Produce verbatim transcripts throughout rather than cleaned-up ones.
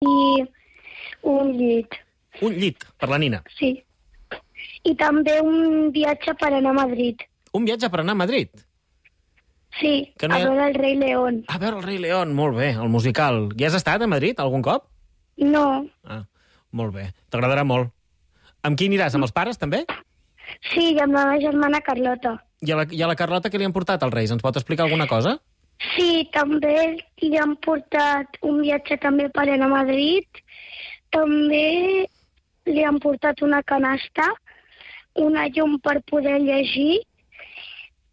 i un llit. Un llit, per la nina. Sí. I també un viatge per anar a Madrid. Un viatge per anar a Madrid? Sí, Que no a hi ha- veure el rei León. A veure el rei León, molt bé, el musical. Hi has estat a Madrid algun cop? No. Ah, molt bé. T'agradarà molt. Amb qui aniràs? Amb els pares, també? Sí, i amb la meva germana Carlota. I a la, i a la Carlota què li han portat als Reis? Ens pot explicar alguna cosa? Sí, també li han portat un viatge també per anar a Madrid. També li han portat una canasta, una llum per poder llegir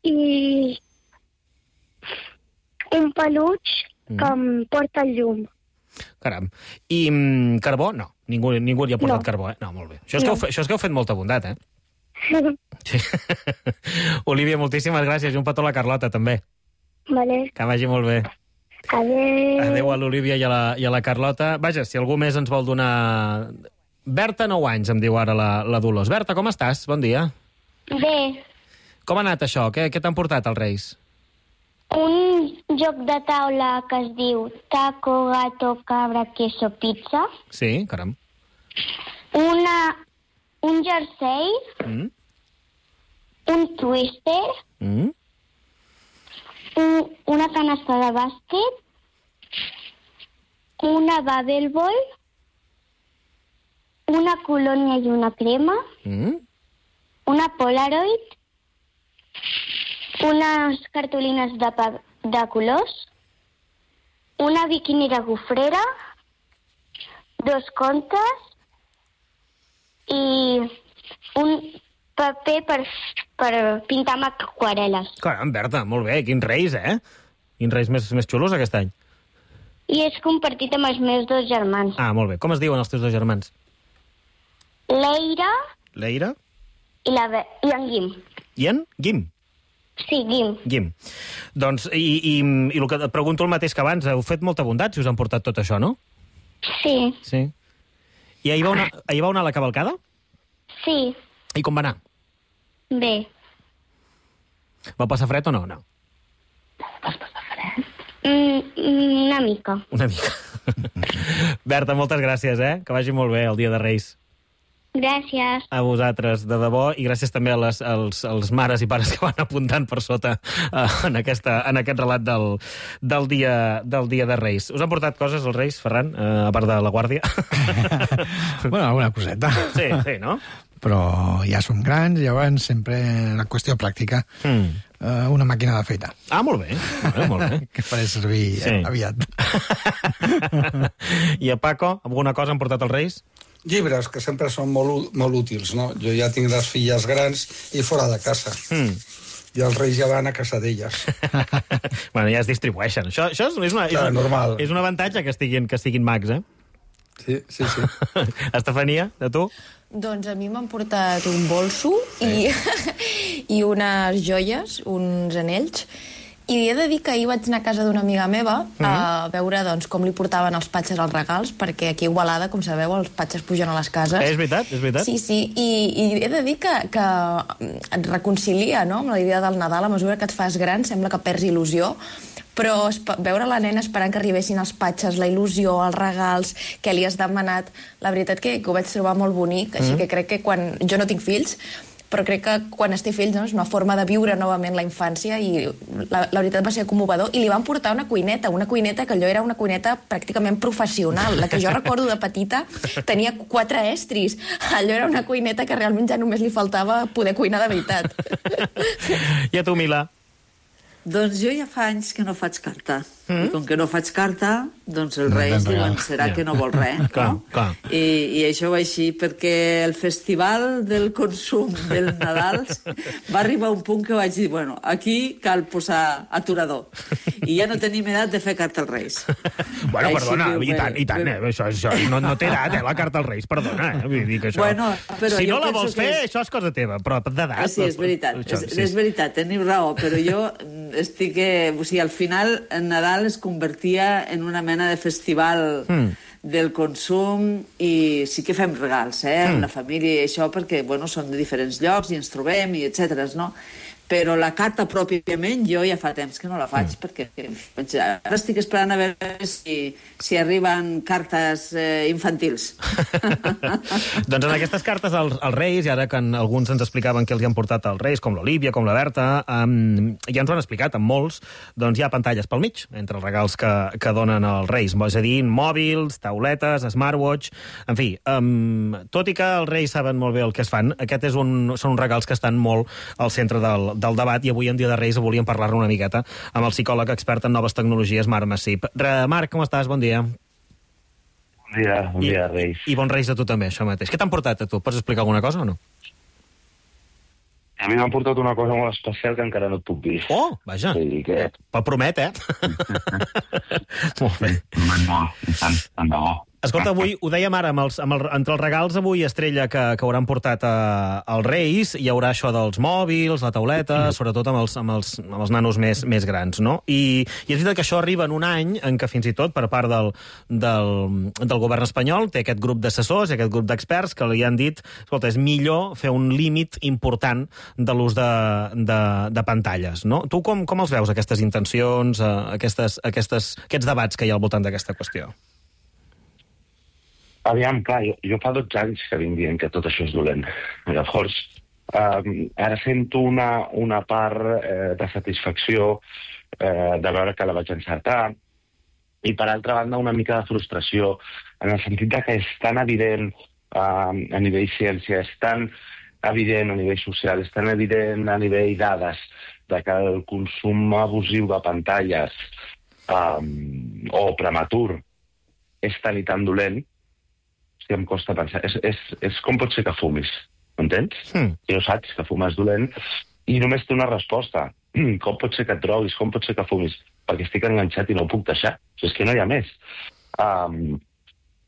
i un peluig que em porta el llum. Caram. I mm, carbó? No. Ningú, ningú li ha portat No. carbó, eh? No, molt bé. Això és, no. que heu, fe- això és que heu fet molta bondat, eh? Sí. Olivia, moltíssimes gràcies. I un petó a la Carlota, també. Vale. Que vagi molt bé. Adéu. Adéu a l'Olivia i, a la, i a la Carlota. Vaja, si algú més ens vol donar... Berta, nou anys, em diu ara la, la Dolors. Berta, com estàs? Bon dia. Bé, Com ha anat això? Què, què t'han portat els Reis? un joc de taula que es diu taco, gato, cabra, queso, pizza. Sí, caram. Una, un jersei, Mm? un twister, Mm? un, una canasta de bàsquet, una bubble ball, una colònia i una crema, Mm? una Polaroid, unes cartolines de, pa- de colors, una biquinera gofrera, dos contes i un paper per, per pintar amb aquarel·les. Caram, Berta, molt bé. Quins Reis, eh? Quins Reis més, més xulos aquest any. I és compartit amb els meus dos germans. Ah, molt bé. Com es diuen els teus dos germans? L'Eira L'Eira i, la, Be- i en Guim. i en Guim. Sí, Guim. Guim. Doncs, i, i, i el que et pregunto el mateix que abans, heu fet molta bondat si us han portat tot això, no? Sí, Sí. I ahir va una, ahir va anar a la cavalcada? sí, I com va anar? bé. Va passar fred o no? No. Mm, una mica. Una mica. Berta, moltes gràcies, eh? Que vagi molt bé el dia de Reis. Gràcies. A vosaltres, de debò, i gràcies també a les, als, als mares i pares que van apuntant per sota uh, en, aquesta, en aquest relat del, del, dia, del dia de Reis. Us han portat coses els Reis, Ferran, uh, a part de la guàrdia? Bueno, alguna coseta. Sí, sí, no? Però ja som grans, llavors sempre la qüestió pràctica. Mm. Uh, una màquina de feita. Ah, molt bé, molt bé, molt bé. Que faré servir Sí. sí. aviat. I a Paco, alguna cosa han portat els Reis? Llibres, que sempre són molt, ú- molt útils, no? Jo ja tinc les filles grans i fora de casa. Mm. I els reis ja van a casa d'elles. Bueno, ja es distribueixen. Això, això és, una, és, Clar, una, normal. és un avantatge que estiguin, que estiguin mags, eh? Sí, sí, sí. Estefania, de tu? Doncs a mi m'han portat un bolso i, i unes joies, uns anells, i he de dir que ahir vaig anar a casa d'una amiga meva a veure doncs, com li portaven els patxes als regals, perquè aquí a Igualada, com sabeu, els patxes pugen a les cases. És veritat, és veritat. Sí, sí, i, i he de dir que, que et reconcilia, no?, amb la idea del Nadal. A mesura que et fas gran sembla que perds il·lusió, però esp- veure la nena esperant que arribessin els patxes, la il·lusió, els regals, que li has demanat, la veritat que, que ho vaig trobar molt bonic, així Mm. que crec que quan... Jo no tinc fills, però crec que quan es té fills, no, és una forma de viure novament la infància i la, la veritat va ser commovedor. I li van portar una cuineta, una cuineta que allò era una cuineta pràcticament professional. La que jo recordo de petita tenia quatre estris. Allò era una cuineta que realment ja només li faltava poder cuinar de veritat. I a tu, Mila? Doncs jo ja fa anys que no faig carta. Mm. I com que no faig carta, doncs els No reis tens diuen, regal. serà Ja. que no vol res, Clar, no? clar. I, I això va així, perquè el festival del consum del Nadal va arribar a un punt que vaig dir, bueno, aquí cal posar aturador. I ja no tenim edat de fer carta als reis. Bueno, Així perdona, que, i tant, i tant, eh? bueno. Això, això no, no té edat, eh, la carta als Reis, perdona, eh? Vull dir que això... Bueno, però si jo no la penso vols que fer, és- això és cosa teva, però d'edat... Ah, sí, és veritat, Això, és, és veritat, teniu raó, però jo estic... Eh, o sigui, al final, el Nadal es convertia en una mena de festival Mm. del consum i sí que fem regals, eh, Mm. amb la família i això, perquè, bueno, són de diferents llocs i ens trobem i etcètera, no? però la carta pròpiament jo ja fa temps que no la faig, mm. perquè ara estic esperant a veure si, si arriben cartes eh, infantils. Doncs en aquestes cartes als, als Reis, i ara que en, alguns ens explicaven que els hi han portat als Reis, com l'Olívia, com la Berta, um, ja ens ho han explicat, amb molts, doncs hi ha pantalles pel mig, entre els regals que, que donen els Reis, és a dir, mòbils, tauletes, smartwatch, en fi, um, tot i que els Reis saben molt bé el que es fan, aquest és un, són uns regals que estan molt al centre del, del debat, i avui en Dia de Reis volíem parlar-ne una miqueta amb el psicòleg expert en noves tecnologies, Marc Massip. Marc, com estàs? Bon dia. Bon dia, bon dia, Reis. I, I bons Reis a tu també, això mateix. Què t'han portat a tu? Pots explicar alguna cosa o no? A mi m'han portat una cosa molt especial que encara no et puc dir. Oh, vaja. Sí, que... Però promet, eh? Molt bé. Promet molt, i tant, tant de bo. Escolta, avui, ho dèiem ara, amb els, amb el, entre els regals avui estrella que, que hauran portat a, als Reis, hi haurà això dels mòbils, la tauleta, sobretot amb els, amb els, amb els nanos més, més grans, no? I, I és veritat que això arriba en un any en què fins i tot, per part del, del, del govern espanyol, té aquest grup d'assessors, aquest grup d'experts, que li han dit, escolta, és millor fer un límit important de l'ús de, de, de pantalles, no? Tu com, com els veus, aquestes intencions, aquestes, aquestes, aquests debats que hi ha al voltant d'aquesta qüestió? Aviam, clar, jo, jo fa dotze anys que vinc dient que tot això és dolent. Llavors, eh, ara sento una, una part eh, de satisfacció eh, de veure que la vaig encertar, i per altra banda una mica de frustració, en el sentit de que és tan evident eh, a nivell ciència, és tan evident a nivell social, és tan evident a nivell dades, de que el consum abusiu de pantalles eh, o prematur és tan i tan dolent, que em costa pensar. És, és, és com pot ser que fumis, m'entens? Mm. Jo saps que fumar és dolent i només té una resposta. Com pot ser que et droguis? Com pot ser que fumis? Perquè estic enganxat i no ho puc deixar. És que no hi ha més. Um,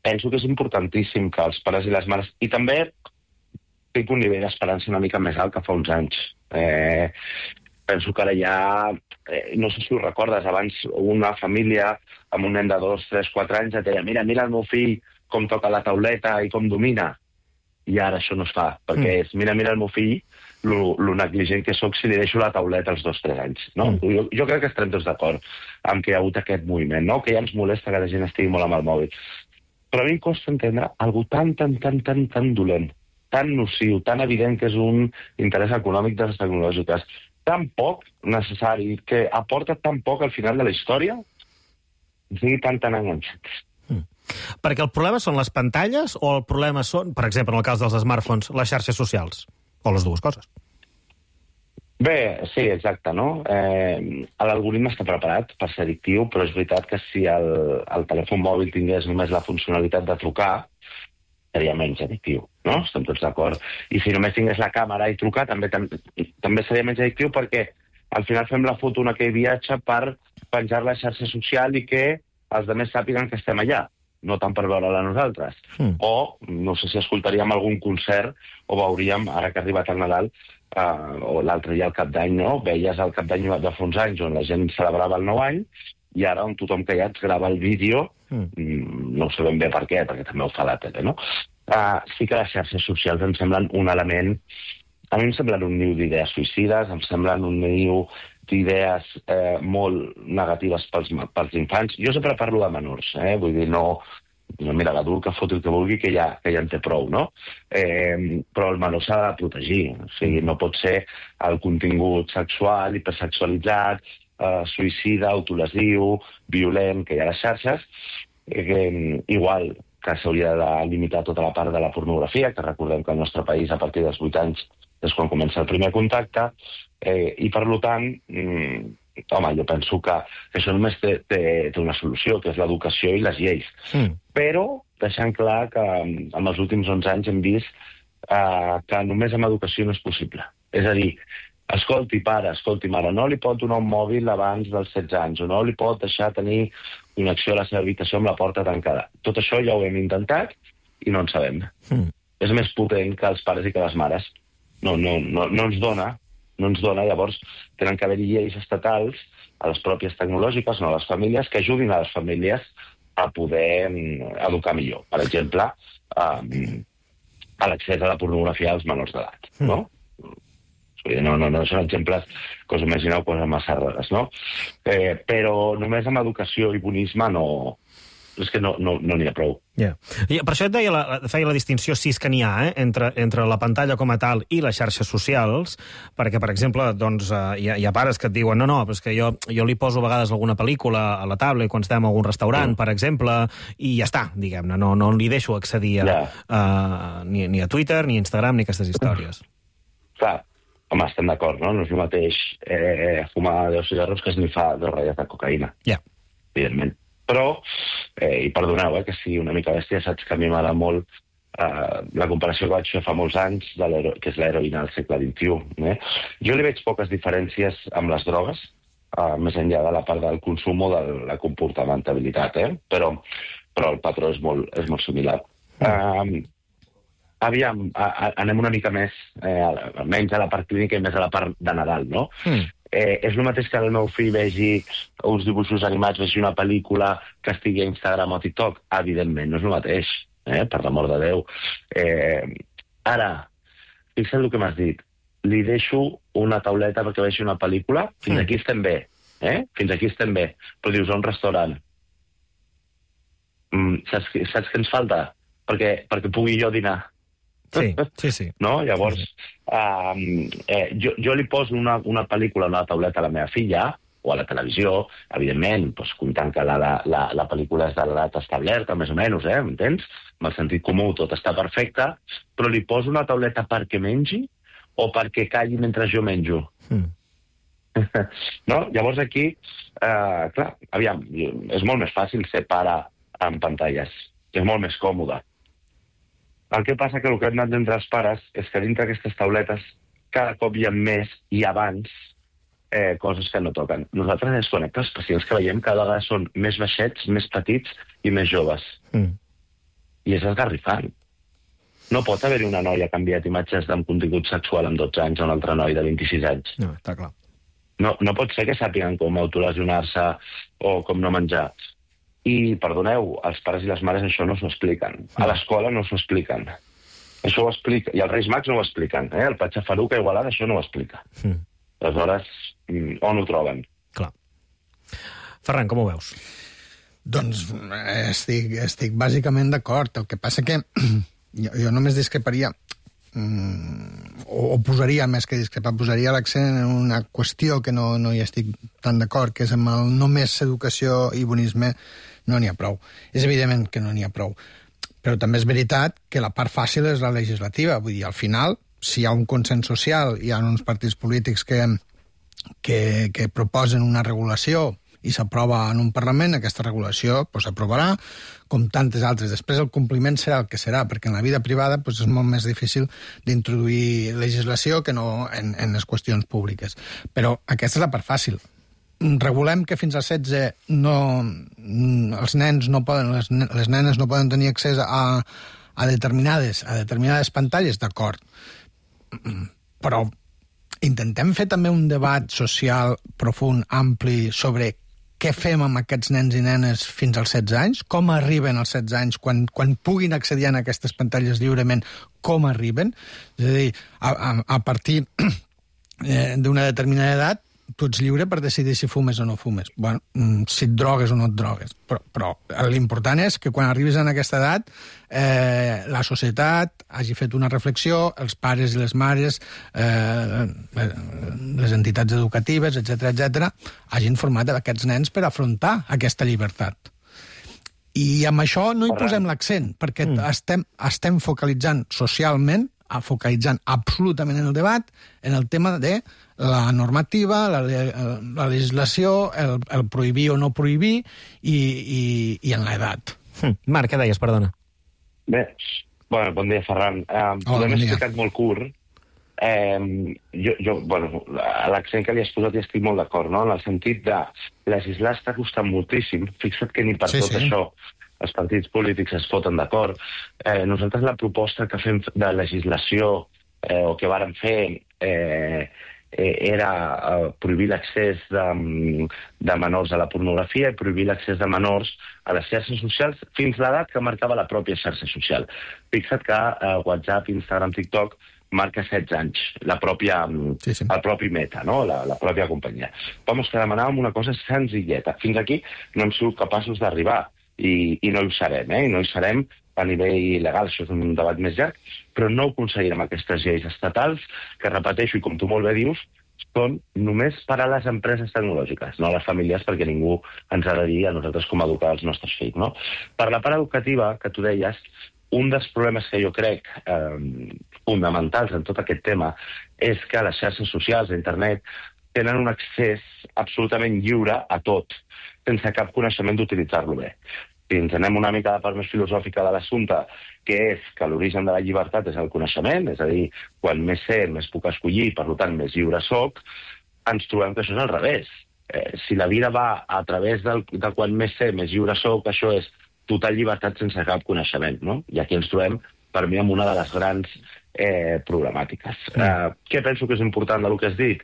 penso que és importantíssim que els pares i les mares... I també tinc un nivell d'esperança una mica més alt que fa uns anys. Eh, penso que ara ja... Eh, no sé si ho recordes, abans una família amb un nen de dos, tres, quatre anys et deia mira, mira el meu fill com toca la tauleta i com domina. I ara això no es fa, perquè mm. és, mira, mira el meu fill, lo, lo negligent que soc si li deixo la tauleta als dos, tres anys. No? Mm. Jo, jo crec que estarem tots d'acord amb que hi ha hagut aquest moviment, no? Que ja ens molesta que la gent estigui molt amb el mòbil. Però a mi em costa entendre algo tan, tan, tan, tan, tan dolent, tan nociu, tan evident que és un interès econòmic de les tecnològiques, tan poc necessari, que aporta tan poc al final de la història, i sigui tan, tan enganxats. Perquè el problema són les pantalles o el problema són, per exemple, en el cas dels smartphones, les xarxes socials? O les dues coses? Bé, sí, exacte, no? Eh, l'algoritme està preparat per ser addictiu, però és veritat que si el, el telèfon mòbil tingués només la funcionalitat de trucar, seria menys addictiu, no? Estem tots d'acord. I si només tingués la càmera i trucar, també, tam també seria menys addictiu perquè al final fem la foto en aquell viatge per penjar la xarxa social i que els altres sàpiguen que estem allà, no tant per veure-la nosaltres. Mm. O, no sé si escoltaríem algun concert o veuríem, ara que ha arribat el Nadal, uh, o l'altre dia al Cap d'Any, no? Veies el Cap d'Any de fa uns anys on la gent celebrava el nou any i ara on tothom que hi ha et grava el vídeo, mm. no sé ben bé per què, perquè també ho fa la tele, no? Uh, sí que les xarxes socials em semblen un element... A mi em semblen un niu d'idees suïcides, em semblen un niu d'idees eh, molt negatives pels, pels infants. Jo sempre parlo de menors, eh? Vull dir, no... no mira, l'adult que foti el que vulgui, que ja, que ja en té prou, no? Eh, però el menor s'ha de protegir. O sigui, no pot ser el contingut sexual, hipersexualitzat, eh, suïcida, autolesiu, violent, que hi ha a les xarxes. Eh, igual que s'hauria de limitar tota la part de la pornografia, que recordem que al nostre país, a partir dels vuit anys, és quan comença el primer contacte, eh, i per tant, mm, home, jo penso que, que això només té, té, té una solució, que és l'educació i les lleis. Mm. Però deixant clar que en els últims onze anys hem vist eh, que només amb educació no és possible. És a dir, escolti, pare, escolti, mare, no li pot donar un mòbil abans dels setze anys, o no li pot deixar tenir connexió a la seva habitació amb la porta tancada. Tot això ja ho hem intentat i no en sabem. Mm. És més potent que els pares i que les mares. No, no, no, no ens dona, no ens dona, llavors tenen que haver-hi lleis estatals a les pròpies tecnològiques, no a les famílies, que ajudin a les famílies a poder educar millor. Per exemple, a, a l'accés a la pornografia als menors d'edat, no? Mm. No, no, no són exemples que us imagineu coses massa rares, no? Eh, però només amb educació i bonisme no... És que no n'hi no, no ha prou. Yeah. I per això et deia la, feia la distinció, si és que n'hi ha, eh, entre, entre la pantalla com a tal i les xarxes socials, perquè, per exemple, doncs, eh, hi, ha, hi ha pares que et diuen no, no, però és que jo, jo li poso a vegades alguna pel·lícula a la tablet quan estem a algun restaurant, mm. per exemple, i ja està, diguem-ne, no, no li deixo accedir a, yeah. a, ni, ni a Twitter, ni a Instagram, ni a aquestes històries. Clar, home, estem d'acord, no? No és el mateix eh, fumar deu cigarros que esnifar dos ratlles de cocaïna. Ja. Yeah. Evidentment. Però, eh, i perdoneu, eh, que sigui una mica bèstia, saps que a mi m'agrada molt eh, la comparació que vaig fer fa molts anys, de que és l'heroïna del segle vint-i-u. Eh? Jo li veig poques diferències amb les drogues, eh, més enllà de la part del consum o de la comportamentalitat, eh? però, però el patró és molt, és molt similar. Mm. Eh, aviam, a, a, anem una mica més, eh, almenys a la part clínica i més a la part de Nadal, no? Mm. Eh, és el mateix que el meu fill vegi uns dibuixos animats, vegi una pel·lícula que estigui a Instagram o TikTok? Evidentment, no és el mateix, eh? Per l'amor de Déu. Eh, ara, fixa't el que m'has dit. Li deixo una tauleta perquè vegi una pel·lícula? Fins mm. aquí estem bé, eh? Fins aquí estem bé. Però dius, a un restaurant. Mm, saps, saps què ens falta? Perquè, perquè pugui jo dinar. Sí, sí, sí. No? Llavors, sí, sí. Uh, eh, jo, jo li poso una, una pel·lícula a una tauleta a la meva filla, o a la televisió, evidentment, doncs, comptant que la, la, la pel·lícula és de l'edat establerta, més o menys, eh, m'entens? Amb el sentit comú tot està perfecte, però li poso una tauleta perquè mengi o perquè calli mentre jo menjo. Mm. No? Llavors aquí, eh, clar, aviam, és molt més fàcil ser pare amb pantalles, és molt més còmode. El que passa que el que hem d'entendre els pares és que dintre d'aquestes tauletes cada cop hi ha més i abans eh, coses que no toquen. Nosaltres ens connectem, els pacients que veiem cada vegada són més baixets, més petits i més joves. Mm. I és esgarrifant. No pot haver-hi una noia que ha enviat imatges amb contingut sexual amb dotze anys a un altre noi de vint-i-sis anys. No, està clar. No, no pot ser que sàpiguen com autolesionar-se o com no menjar. I, perdoneu, els pares i les mares això no s'ho expliquen. A l'escola no s'ho expliquen. Això ho explica... I els Reis Mags no ho expliquen. Eh? El Patxa Faruc a Igualada això no ho explica. Mm. Aleshores, on ho troben? Clar. Ferran, com ho veus? Doncs estic, estic bàsicament d'acord. El que passa que jo, jo només discreparia, mm, o, o posaria, més que discrepar, posaria l'accent en una qüestió que no, no hi estic tan d'acord, que és amb el només educació i bonisme no n'hi ha prou. És evident que no n'hi ha prou. Però també és veritat que la part fàcil és la legislativa. Vull dir, al final, si hi ha un consens social, hi ha uns partits polítics que, que, que proposen una regulació i s'aprova en un Parlament, aquesta regulació pues, s'aprovarà, com tantes altres. Després el compliment serà el que serà, perquè en la vida privada pues, és molt més difícil d'introduir legislació que no en, en les qüestions públiques. Però aquesta és la part fàcil. Regulem que fins als setze no, els nens no poden, les, les nenes no poden tenir accés a, a, determinades, a determinades pantalles, d'acord. Però intentem fer també un debat social profund, ampli, sobre què fem amb aquests nens i nenes fins als setze anys, com arriben als setze anys, quan, quan puguin accedir a aquestes pantalles lliurement, com arriben. És a dir, a, a, a partir eh, d'una determinada edat, tu ets lliure per decidir si fumes o no fumes. Bueno, si et drogues o no et drogues. Però, però l'important és que quan arribis a aquesta edat eh, la societat hagi fet una reflexió, els pares i les mares, eh, les entitats educatives, etcètera, etcètera, hagin format aquests nens per afrontar aquesta llibertat. I amb això no hi posem l'accent, perquè mm. estem, estem focalitzant socialment, focalitzant absolutament en el debat, en el tema de la normativa, la, la legislació, el, el prohibir o no prohibir i, i, i en l'edat. Hm. Marc, què deies, perdona? Bé, bueno, bon dia, Ferran. Uh, Hola, l'hem bon dia. explicat molt curt. Eh, jo, jo, bueno, l'accent que li has posat hi estic molt d'acord, no? En el sentit de legislar està costant moltíssim. Fixa't que ni per sí, tot sí. això els partits polítics es foten d'acord. Eh, nosaltres la proposta que fem de legislació eh, o que vàrem fer eh, eh, era eh, prohibir l'accés de, de menors a la pornografia i prohibir l'accés de menors a les xarxes socials fins l'edat que marcava la pròpia xarxa social. Fixa't que eh, WhatsApp, Instagram, TikTok marca setze anys, la pròpia, sí, sí. el propi Meta, no? la, la pròpia companyia. Vamos, que demanàvem una cosa senzilleta. Fins aquí no hem sigut capaços d'arribar i, i no hi serem, eh? I no hi serem a nivell legal, això és un debat més llarg, però no ho aconseguirem aquestes lleis estatals, que repeteixo, i com tu molt bé dius, són només per a les empreses tecnològiques, no a les famílies, perquè ningú ens ha de dir a nosaltres com educar els nostres fills. No? Per la part educativa, que tu deies, un dels problemes que jo crec eh, fonamentals en tot aquest tema és que les xarxes socials, internet, tenen un accés absolutament lliure a tot, sense cap coneixement d'utilitzar-lo bé. Si ens anem una mica a la part més filosòfica de l'assumpte, que és que l'origen de la llibertat és el coneixement, és a dir, quan més sé, més puc escollir, per tant, més lliure soc, ens trobem que això és al revés. Eh, si la vida va a través del, de quan més sé, més lliure soc, això és total llibertat sense cap coneixement, no? I aquí ens trobem, per mi, amb una de les grans eh, problemàtiques. Mm. Eh, què penso que és important del que has dit?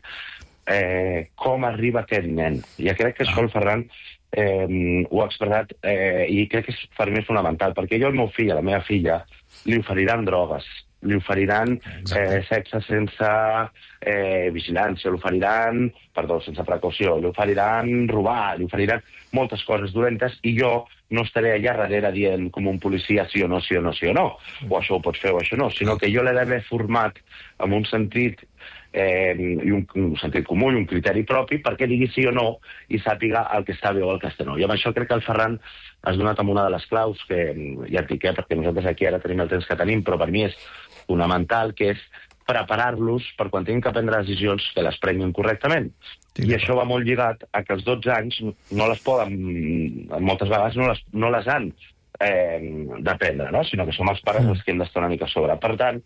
Eh, com arriba aquest nen? I crec que això el Ferran eh, ho ha expressat eh, i crec que és, per mi és fonamental, perquè jo al meu fill, a la meva filla, li oferiran drogues, li oferiran eh, sexe sense eh, vigilància, li oferiran, perdó, sense precaució, li oferiran robar, li oferiran moltes coses dolentes i jo no estaré allà darrere dient com un policia sí o no, sí o no, sí o no, o això ho pots fer o això no, sinó que jo l'he d'haver format amb un sentit eh, i un, un sentit comú i un criteri propi perquè digui sí o no i sàpiga el que està bé o el que està no. I amb això crec que el Ferran has donat amb una de les claus que ja et dic, eh, perquè nosaltres aquí ara tenim el temps que tenim, però per mi és fonamental, que és preparar-los per quan tinguin que prendre decisions que les prenguin correctament. Sí, I això va molt lligat a que als dotze anys no les poden, moltes vegades no les, no les han eh, d'aprendre, no? Sinó que som els pares els que hem d'estar una mica a sobre. Per tant,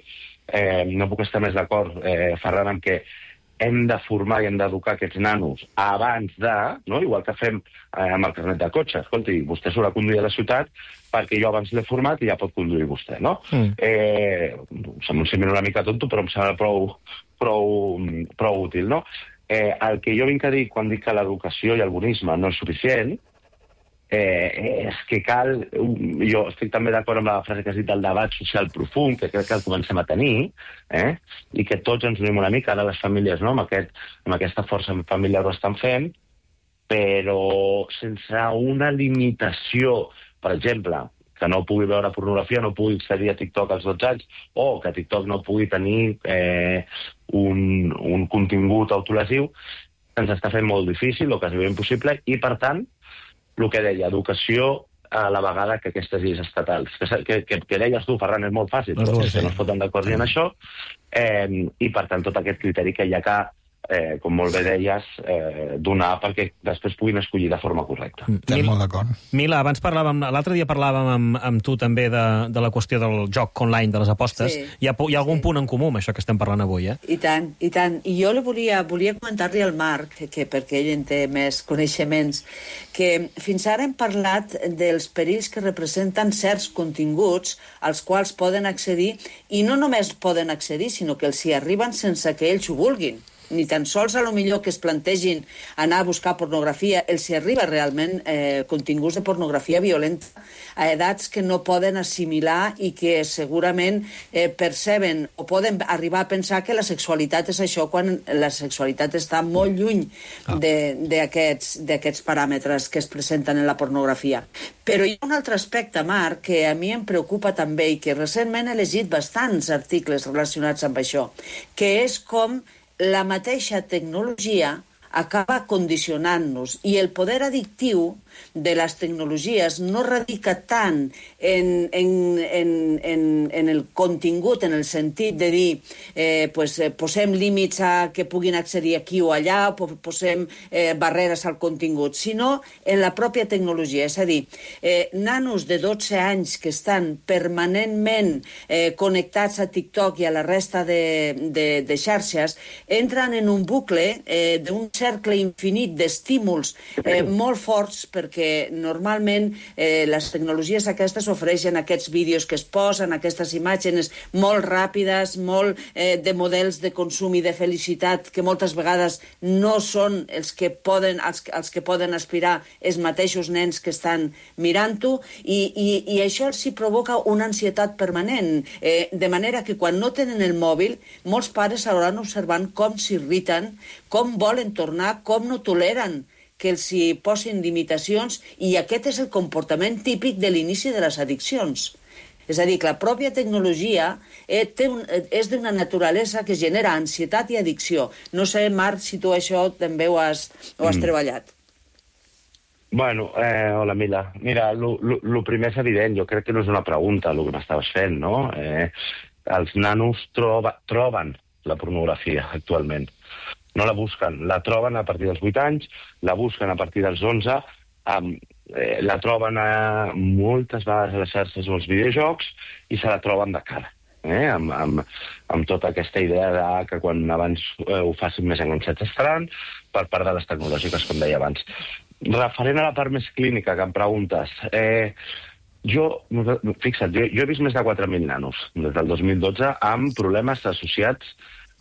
eh, no puc estar més d'acord, eh, Ferran, amb que hem de formar i hem d'educar aquests nanos abans de, no? Igual que fem eh, amb el carnet de cotxe. Escolti, vostè s'haurà de conduir a la ciutat perquè jo abans l'he format i ja pot conduir vostè, no? Mm. Eh, em sembla una mica tonto, però em sembla prou, prou, prou útil, no? Eh, el que jo vinc a dir quan dic que l'educació i el bonisme no és suficient eh, és que cal... Jo estic també d'acord amb la frase que has dit del debat social profund, que crec que el comencem a tenir, eh? I que tots ens unim una mica, ara les famílies, no? amb, aquest, amb aquesta força familiar ho estan fent, però sense una limitació, per exemple, que no pugui veure pornografia, no pugui accedir a TikTok als dotze anys, o que TikTok no pugui tenir eh, un, un contingut autolesiu, ens està fent molt difícil, o quasi impossible, i per tant, el que deia, educació a la vegada que aquestes lleis estatals. Que, que, que, que deies tu, Ferran, és molt fàcil, però sí, no es foten d'acord ni en això, eh, i per tant tot aquest criteri que hi ha que eh, com molt bé deies, eh, donar perquè després puguin escollir de forma correcta. Estem molt d'acord. Mila, abans parlàvem, l'altre dia parlàvem amb, amb tu també de, de la qüestió del joc online, de les apostes. Sí. Hi ha, hi ha algun sí. punt en comú amb això que estem parlant avui, eh? I tant, i tant. I jo li volia, volia comentar-li al Marc, que, que perquè ell en té més coneixements, que fins ara hem parlat dels perills que representen certs continguts als quals poden accedir, i no només poden accedir, sinó que els hi arriben sense que ells ho vulguin. Ni tan sols a lo millor que es plantegin anar a buscar pornografia, els hi arriba realment eh, continguts de pornografia violenta a edats que no poden assimilar i que segurament eh, perceben o poden arribar a pensar que la sexualitat és això quan la sexualitat està molt lluny d'aquests d'aquests paràmetres que es presenten en la pornografia. Però hi ha un altre aspecte, Marc, que a mi em preocupa també i que recentment he llegit bastants articles relacionats amb això, que és com la mateixa tecnologia acaba condicionant-nos i el poder addictiu de les tecnologies no radica tant en, en, en, en, en el contingut, en el sentit de dir eh, pues, eh, posem límits a que puguin accedir aquí o allà, o posem eh, barreres al contingut, sinó en la pròpia tecnologia. És a dir, eh, nanos de dotze anys que estan permanentment eh, connectats a TikTok i a la resta de, de, de xarxes entren en un bucle eh, d'un cercle infinit d'estímuls eh, molt forts, perquè normalment eh, les tecnologies aquestes ofereixen aquests vídeos que es posen, aquestes imatges molt ràpides, molt eh, de models de consum i de felicitat que moltes vegades no són els que poden, els, els que poden aspirar els mateixos nens que estan mirant-ho, i, i, i això s'hi provoca una ansietat permanent, eh, de manera que quan no tenen el mòbil, molts pares s'hauran observant com s'irriten, com volen tornar, com no toleren que els hi posin limitacions, i aquest és el comportament típic de l'inici de les addiccions. És a dir, que la pròpia tecnologia eh, té un, eh, és d'una naturalesa que genera ansietat i addicció. No sé, Marc, si tu això també ho has, ho has mm. treballat. Bueno, eh, hola, Mila. Mira, el primer és evident, jo crec que no és una pregunta el que m'estaves fent, no? Eh, els nanos troba, troben la pornografia actualment. No la busquen, la troben a partir dels vuit anys, la busquen a partir dels onze, um, eh, la troben a, moltes vegades a les xarxes o als videojocs i se la troben de cara, eh? amb, amb, amb tota aquesta idea de que quan abans eh, ho facin més enganxats estaran, per part de les tecnològiques, com deia abans. Referent a la part més clínica que em preguntes, eh, jo, fixa't, jo, jo he vist més de quatre mil nanos des del dos mil dotze amb problemes associats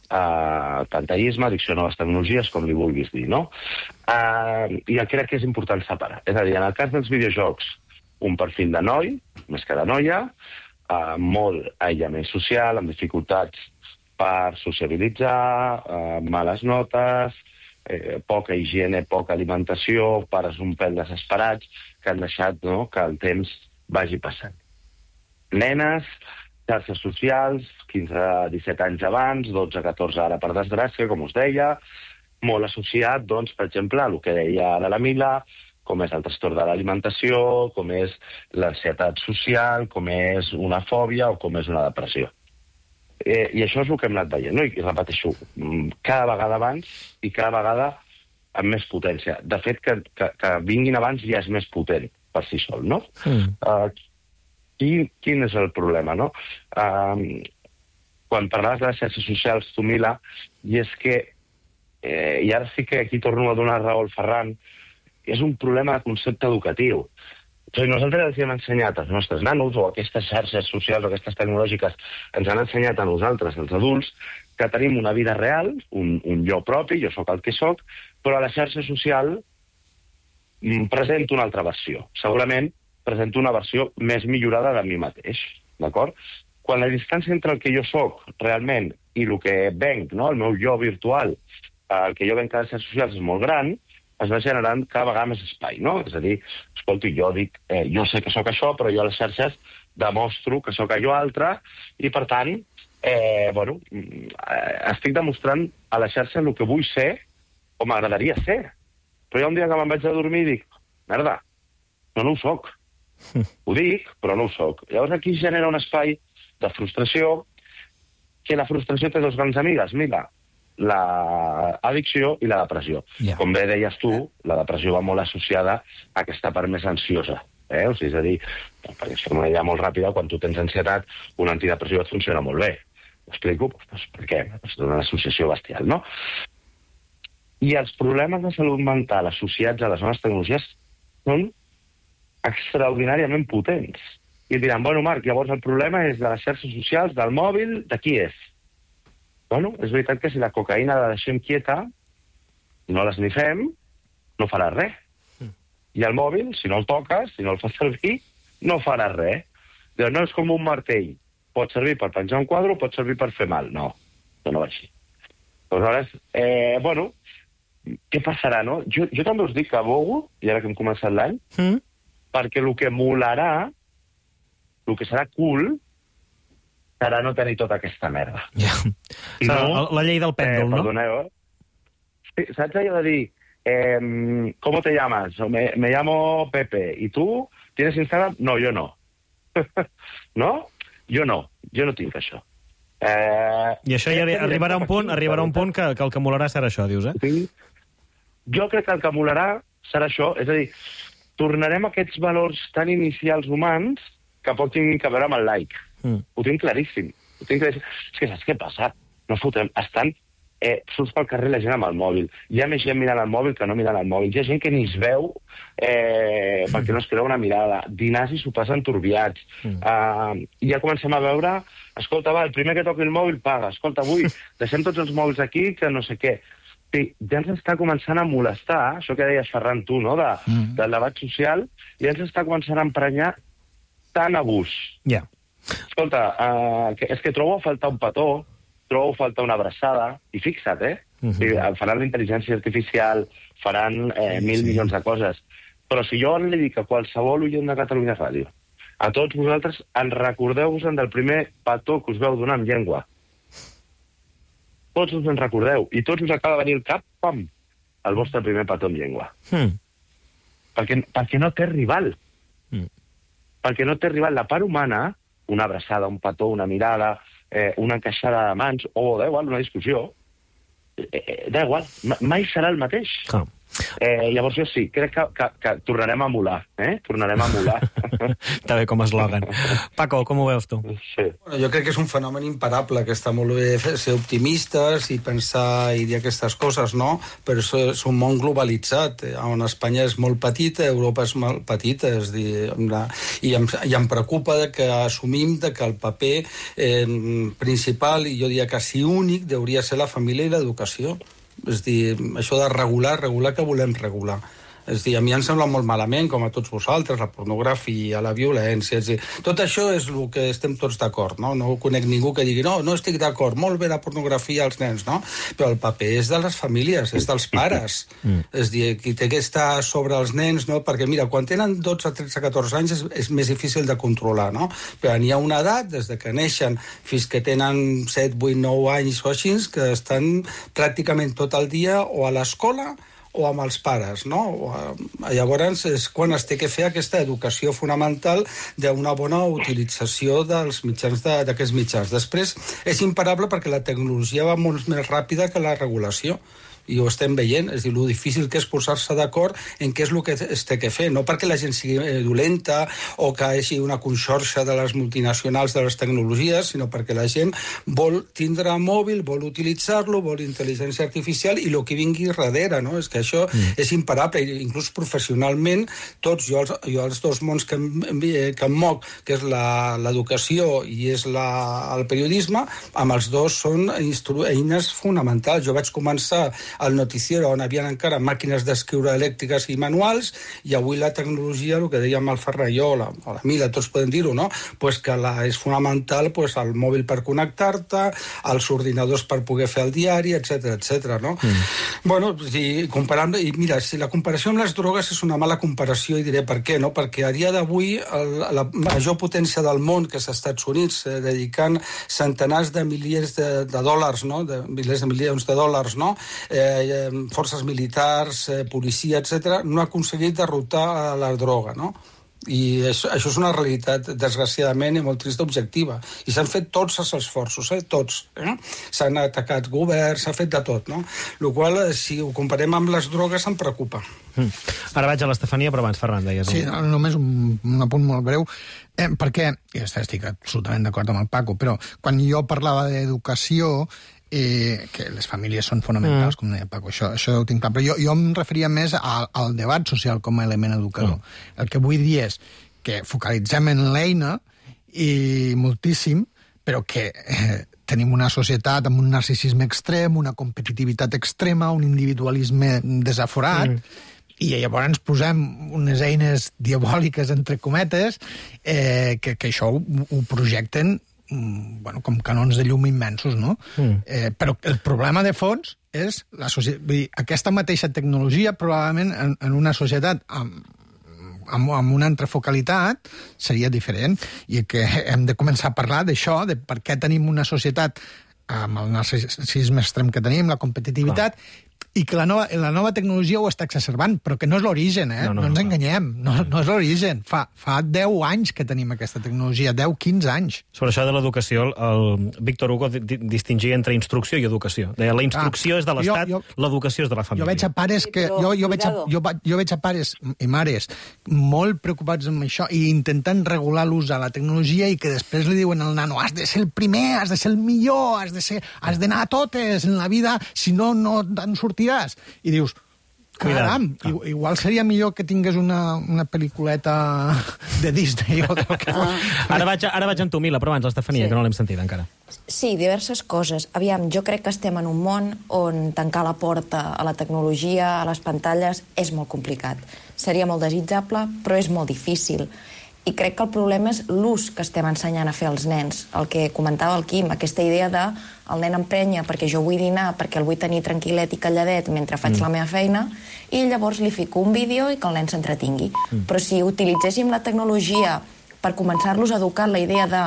a pantallisme, addicció a noves tecnologies, com li vulguis dir, no? Uh, I crec que és important separar. És a dir, en el cas dels videojocs, un perfil de noi, més que de noia, uh, molt aïllament social, amb dificultats per sociabilitzar, uh, males notes, eh, poca higiene, poca alimentació, pares un pèl desesperats, que han deixat, no?, que el temps vagi passant. Nenes, xarxes socials, quinze a disset anys abans, dotze a catorze ara per desgràcia, com us deia, molt associat, doncs, per exemple, a el que deia ara la Mila, com és el trastorn de l'alimentació, com és l'ansietat social, com és una fòbia o com és una depressió. Eh, I això és el que hem anat veient, no? I, i repeteixo, cada vegada abans i cada vegada amb més potència. De fet, que, que, que vinguin abans ja és més potent per si sol, no? Mm. Uh, Quin, quin és el problema, no? Um, quan parlaves de les xarxes socials, tu, Mila, i és que, eh, i ara sí que aquí torno a donar raó al Ferran, és un problema de concepte educatiu. O sigui, nosaltres els hem ensenyat als nostres nanos, o aquestes xarxes socials o aquestes tecnològiques ens han ensenyat a nosaltres, els adults, que tenim una vida real, un, un jo propi, jo sóc el que sóc, però a la xarxa social mm, presento una altra versió. Segurament presento una versió més millorada de mi mateix, d'acord? Quan la distància entre el que jo sóc realment i el que venc, no?, el meu jo virtual, el que jo venc a les xarxes socials és molt gran, es va generant cada vegada més espai, no? És a dir, escolti, jo dic, eh, jo sé que sóc això, però jo a les xarxes demostro que sóc allò altre, i per tant, eh, bueno, estic demostrant a la xarxa el que vull ser o m'agradaria ser. Però hi ha un dia que me'n vaig a dormir i dic, merda, no, no ho soc. Ho dic, però no ho soc. Llavors aquí es genera un espai de frustració, que la frustració té dos grans amigues, mira, l'addicció i la depressió. Yeah. Com bé deies tu, la depressió va molt associada a aquesta part més ansiosa. Eh? O sigui, és a dir, perquè és una idea molt ràpida, quan tu tens ansietat, un antidepressiu et funciona molt bé. Ho explico? Pues, per què? És una associació bestial, no? I els problemes de salut mental associats a les noves tecnologies són extraordinàriament potents. I diran, bueno, Marc, llavors el problema és de les xarxes socials, del mòbil, de qui és? Bueno, és veritat que si la cocaïna la deixem quieta, no l'esnifem, no farà res. Mm. I el mòbil, si no el toques, si no el fas servir, no farà res. Dius, no és com un martell. Pot servir per penjar un quadre o pot servir per fer mal. No, no, no va així. Aleshores, eh, bueno, què passarà, no? Jo, jo també us dic que abogo, i ara que hem començat l'any, mm. perquè el que molarà, el que serà cool, serà no tenir tota aquesta merda. Ja. No, la, la llei del pèndol, eh, no? Perdoneu, eh? Sí, saps allò de dir, eh, ¿cómo te llamas? Me, me llamo Pepe. ¿Y tú? ¿Tienes Instagram? No, yo no. ¿No? Jo no. Jo no tinc això. Eh, I això ja arribarà un punt, arribarà un punt que, que el que molarà serà això, dius, eh? Sí. Jo crec que el que molarà serà això. És a dir, tornarem a aquests valors tan inicials humans que poc tinguin a veure amb el like. Mm. Ho tinc claríssim. Ho tinc claríssim. És que saps què passa? No fotem. Estan eh, surts pel carrer la gent amb el mòbil. Hi ha més gent mirant el mòbil que no mirant el mòbil. Hi ha gent que ni es veu eh, perquè no es creu una mirada. Dinars i sopars enturbiats. Mm. Uh, I ja comencem a veure, escolta, va, el primer que toqui el mòbil paga. Escolta, avui deixem tots els mòbils aquí que no sé què. Sí, ja ens està començant a molestar, això que deies, Ferran, tu, no?, de, mm. del debat social, ja ens està començant a emprenyar tant abús. Ja. Yeah. Escolta, uh, que, és que trobo a faltar un petó, trobo a faltar una abraçada, i fixa't, eh? Uh -huh. Faran la intel·ligència artificial, faran eh, mil sí. milions de coses, però si jo li dic a qualsevol oient de Catalunya Ràdio, a tots vosaltres, en recordeu-vos del primer petó que us veu donar amb llengua. Tots us en recordeu, i tots us acaba de venir el cap, pam, el vostre primer petó amb llengua. Mm. Perquè, perquè no té rival. Mm. Perquè no té rival. La part humana, una abraçada, un petó, una mirada, eh, una encaixada de mans, o, da igual, una discussió, eh, eh, da igual, mai serà el mateix. Ah. Eh, llavors jo sí, crec que, que, que tornarem a emular, eh? Tornarem a emular. Està bé com eslògan. Paco, com ho veus tu? Sí. Bueno, jo crec que és un fenomen imparable, que està molt bé ser optimistes i pensar i dir aquestes coses, no? Però és, és un món globalitzat, on Espanya és molt petita, Europa és molt petita, és dir, i, em, i em preocupa de que assumim de que el paper eh, principal, i jo diria quasi únic, hauria ser la família i l'educació. És dir, això de regular, regular que volem regular. És dir, a mi em sembla molt malament, com a tots vosaltres, la pornografia, la violència... És dir, tot això és el que estem tots d'acord, no? No conec ningú que digui, no, no estic d'acord, molt bé la pornografia als nens, no? Però el paper és de les famílies, és dels pares. Mm. És dir, qui té que estar sobre els nens, no? Perquè, mira, quan tenen dotze, tretze, catorze anys és, és més difícil de controlar, no? Però n'hi ha una edat, des de que neixen fins que tenen set, vuit, nou anys o així, que estan pràcticament tot el dia o a l'escola o amb els pares, no? Llavors és quan es té que fer aquesta educació fonamental d'una bona utilització dels mitjans d'aquests mitjans. Després és imparable perquè la tecnologia va molt més ràpida que la regulació. I ho estem veient, és dir, lo difícil que és posar-se d'acord en què és el que es té que fer, no perquè la gent sigui dolenta o que hi hagi una conxorxa de les multinacionals de les tecnologies, sinó perquè la gent vol tindre mòbil, vol utilitzar-lo, vol intel·ligència artificial i el que vingui darrere, no? És que això mm. és imparable, inclús professionalment, tots, jo els, jo els dos mons que em, que em moc, que és l'educació i és la, el periodisme, amb els dos són eines fonamentals. Jo vaig començar al noticiero on havien encara màquines d'escriure elèctriques i manuals, i avui la tecnologia, el que dèiem el Ferran i jo, o la, o la Mila, tots podem dir-ho, no? Pues que la, és fonamental pues, el mòbil per connectar-te, els ordinadors per poder fer el diari, etcètera, etcètera, no? Mm. Bueno, i, comparant, i mira, si la comparació amb les drogues és una mala comparació, i diré per què, no? Perquè a dia d'avui el, la major potència del món, que és als Estats Units, eh, dedicant centenars de milions de, de dòlars, no? De milers de milions de dòlars, no? Eh, forces militars, eh, policia, etcètera, no ha aconseguit derrotar la droga, no? I això, això és una realitat, desgraciadament, i molt trista objectiva. I s'han fet tots els esforços, eh? Tots. Eh? S'han atacat governs, s'ha fet de tot, no? El qual, si ho comparem amb les drogues, em preocupa. Mm. Ara vaig a l'Estefania, però abans, Ferran, deies... Sí, només un, un apunt molt breu, eh, perquè, i estic absolutament d'acord amb el Paco, però quan jo parlava d'educació, Eh, que les famílies són fonamentals, mm. com deia Paco, això, això ho tinc clar, però jo, jo em referia més al, al debat social com a element educador. Mm. El que vull dir és que focalitzem en l'eina i moltíssim, però que eh, tenim una societat amb un narcisisme extrem, una competitivitat extrema, un individualisme desaforat, mm. i llavors ens posem unes eines diabòliques, entre cometes, eh, que, que això ho, ho projecten bueno, com canons de llum immensos, no? Mm. Eh, però el problema de fons és la societat. Vull dir, aquesta mateixa tecnologia probablement en, en una societat amb, amb, amb una entrefocalitat seria diferent, i que hem de començar a parlar d'això, de per què tenim una societat amb el narcisisme extrem que tenim, la competitivitat, ah. i que la nova, la nova tecnologia ho està exacerbant, però que no és l'origen, eh? No, no, no ens no. enganyem, no, no és l'origen. Fa, fa deu anys que tenim aquesta tecnologia, deu, quinze anys. Sobre això de l'educació, el Víctor Hugo di distingia entre instrucció i educació. Deia, la instrucció Ah, és de l'Estat, jo- jo- l'educació és de la família. Jo veig a pares que... Sí, però, jo, jo, veig a, cuidado. jo, va- jo veig a pares i mares molt preocupats amb això i intentant regular l'ús de la tecnologia i que després li diuen al nano has de ser el primer, has de ser el millor, has de ser, has d'anar a totes en la vida, si no, no te'n sortiràs. I dius, caram, Cuidado. i- igual seria millor que tingués una, una pel·lículeta de Disney o del que fos. Ara vaig, ara vaig amb tu, Mila, però abans l'Estefania, Sí. que no l'hem sentit encara. Sí, diverses coses. Aviam, jo crec que estem en un món on tancar la porta a la tecnologia, a les pantalles, és molt complicat. Seria molt desitjable, però és molt difícil. I crec que el problema és l'ús que estem ensenyant a fer als nens. El que comentava el Quim, aquesta idea de el nen emprenya perquè jo vull dinar, perquè el vull tenir tranquil·let i calladet mentre faig mm. la meva feina, i llavors li fico un vídeo i que el nen s'entretingui. Mm. Però si utilitzéssim la tecnologia per començar-los a educar en la idea de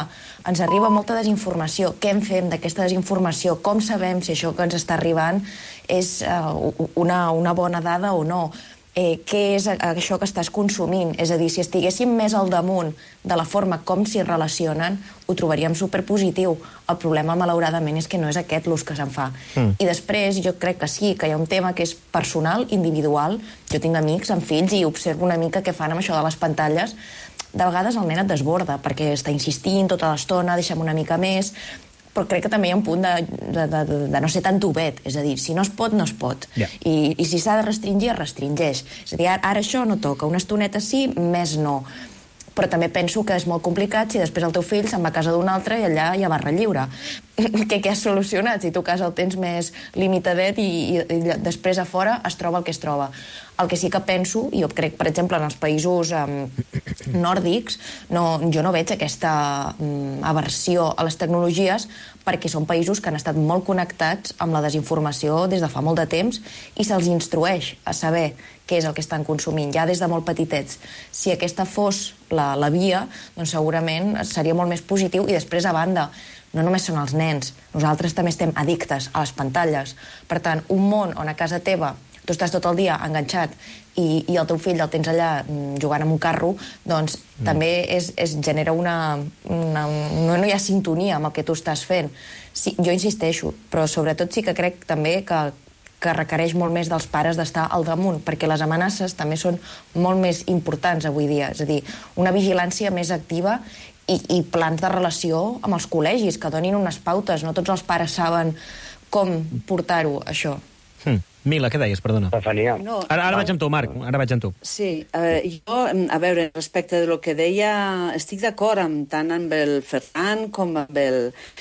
ens arriba molta desinformació, què en fem d'aquesta desinformació, com sabem si això que ens està arribant és uh, una, una bona dada o no, eh, què és això que estàs consumint, és a dir, si estiguéssim més al damunt de la forma com s'hi relacionen, ho trobaríem superpositiu. El problema, malauradament, és que no és aquest l'ús que se'n fa. Mm. I després, jo crec que sí, que hi ha un tema que és personal, individual. Jo tinc amics amb fills i observo una mica què fan amb això de les pantalles. De vegades el nen et desborda, perquè està insistint tota l'estona, deixa'm una mica més, però crec que també hi ha un punt de, de, de, de no ser tan tubet, és a dir, si no es pot, no es pot. Yeah. I, I si s'ha de restringir, es restringeix. És a dir, ara, ara això no toca, una estoneta sí, més no. Però també penso que és molt complicat si després el teu fill se'n va a casa d'un altre i allà hi ha barra lliure. Què, què has solucionat? Si tu a casa el tens més limitadet i, i, i després a fora es troba el que es troba. El que sí que penso, i jo crec, per exemple, en els països um, nòrdics, no, jo no veig aquesta um, aversió a les tecnologies perquè són països que han estat molt connectats amb la desinformació des de fa molt de temps i se'ls instrueix a saber què és el que estan consumint, ja des de molt petitets. Si aquesta fos la, la via, doncs segurament seria molt més positiu. I després, a banda, no només són els nens, nosaltres també estem addictes a les pantalles. Per tant, un món on a casa teva tu estàs tot el dia enganxat i, i el teu fill el tens allà jugant amb un carro, doncs mm. també és, és, genera una, una... No, no hi ha sintonia amb el que tu estàs fent. Sí, jo insisteixo, però sobretot sí que crec també que, que requereix molt més dels pares d'estar al damunt, perquè les amenaces també són molt més importants avui dia. És a dir, una vigilància més activa i, i plans de relació amb els col·legis, que donin unes pautes. No tots els pares saben com portar-ho, això. Hmm. Mila, què deies, perdona? Estefania. No, Ara, ara vaig amb tu, Marc, ara vaig amb tu. Sí, eh, jo, a veure, respecte de lo que deia, estic d'acord amb, tant amb el Ferran com amb el...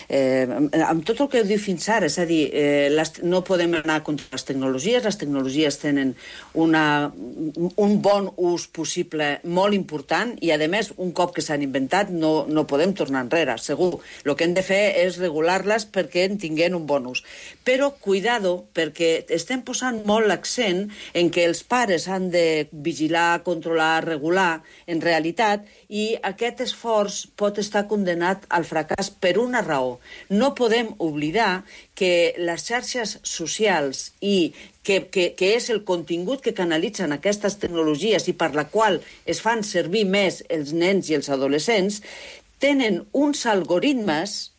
Eh, amb tot el que diu fins ara, és a dir, eh, les, no podem anar contra les tecnologies, les tecnologies tenen una, un bon ús possible molt important i, a més, un cop que s'han inventat no, no podem tornar enrere, segur. El que hem de fer és regular-les perquè en tinguin un bon ús. Però, cuidado, perquè estem posant molt l'accent en que els pares han de vigilar, controlar, regular, en realitat, i aquest esforç pot estar condenat al fracàs per una raó. No podem oblidar que les xarxes socials i que, que, que és el contingut que canalitzen aquestes tecnologies i per la qual es fan servir més els nens i els adolescents, tenen uns algoritmes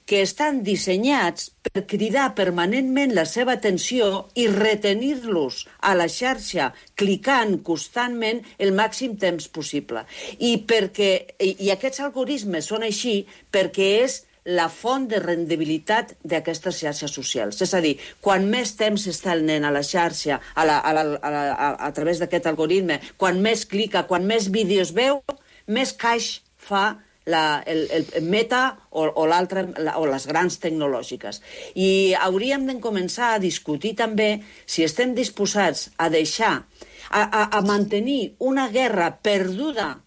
que estan dissenyats per cridar permanentment la seva atenció i retenir-los a la xarxa, clicant constantment el màxim temps possible. I, perquè, i, i aquests algoritmes són així perquè és la font de rendibilitat d'aquestes xarxes socials. És a dir, quan més temps està el nen a la xarxa, a, la, a, la, a, la, a, a través d'aquest algoritme, quan més clica, quan més vídeos veu, més caix fa La, el, el Meta o, o, l'altre, o les grans tecnològiques. I hauríem de començar a discutir també si estem disposats a deixar, a, a, a mantenir una guerra perduda,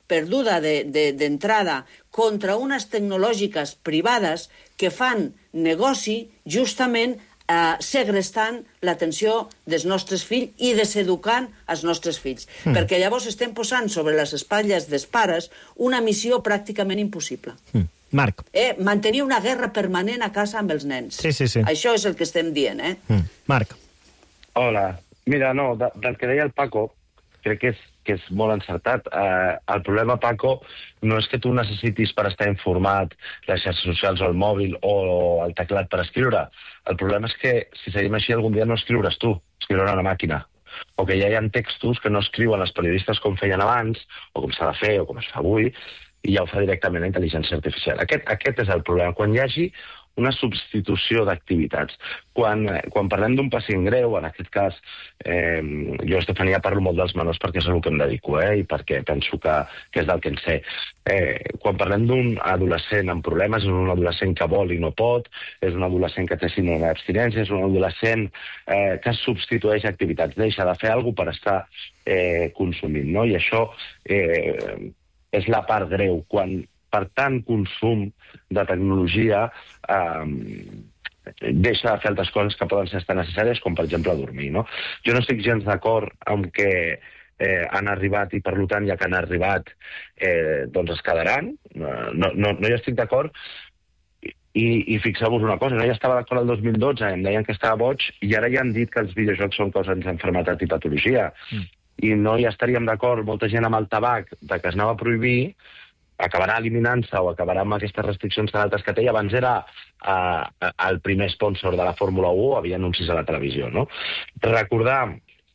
perduda d'entrada de, de, contra unes tecnològiques privades que fan negoci justament Uh, segrestant l'atenció dels nostres fills i deseducant els nostres fills. Mm. Perquè llavors estem posant sobre les espatlles dels pares una missió pràcticament impossible. Mm. Marc. Eh, mantenir una guerra permanent a casa amb els nens. Sí, sí, sí. Això és el que estem dient, eh? Mm. Marc. Hola. Mira, no, de, del que deia el Paco, crec que és, que és molt encertat. Eh, el problema, Paco, no és que tu necessitis per estar informat les xarxes socials o el mòbil o el teclat per escriure. El problema és que, si seguim així, algun dia no escriuràs tu, escriurà una màquina. O que ja hi ha textos que no escriuen els periodistes com feien abans, o com s'ha de fer, o com es fa avui, i ja ho fa directament la intel·ligència artificial. Aquest, aquest és el problema. Quan hi hagi una substitució d'activitats. Quan, quan parlem d'un pacient greu, en aquest cas, eh, jo, Estefania, parlo molt dels menors perquè és el que em dedico, eh, i perquè penso que, que és del que en sé. Eh, quan parlem d'un adolescent amb problemes, és un adolescent que vol i no pot, és un adolescent que té síndrome d'abstinència, és un adolescent eh, que substitueix activitats, deixa de fer alguna cosa per estar eh, consumint, no? I això eh, és la part greu, quan per tant consum de tecnologia eh, deixa de fer altres coses que poden ser tan necessàries com, per exemple, dormir, no? Jo no estic gens d'acord amb que eh, han arribat i, per tant, ja que han arribat, eh, doncs es quedaran. No, no, no hi estic d'acord. I, i fixeu-vos una cosa, no ja estava d'acord el dos mil dotze, em deien que estava boig, i ara ja han dit que els videojocs són causes d'enfermetat i patologia. Mm. I no hi estaríem d'acord, molta gent amb el tabac, de que es anava a prohibir, acabarà eliminant-se o acabarà amb aquestes restriccions tan altes que té, i abans era uh, el primer sponsor de la Fórmula u, havia anuncis a la televisió, no? Recordar,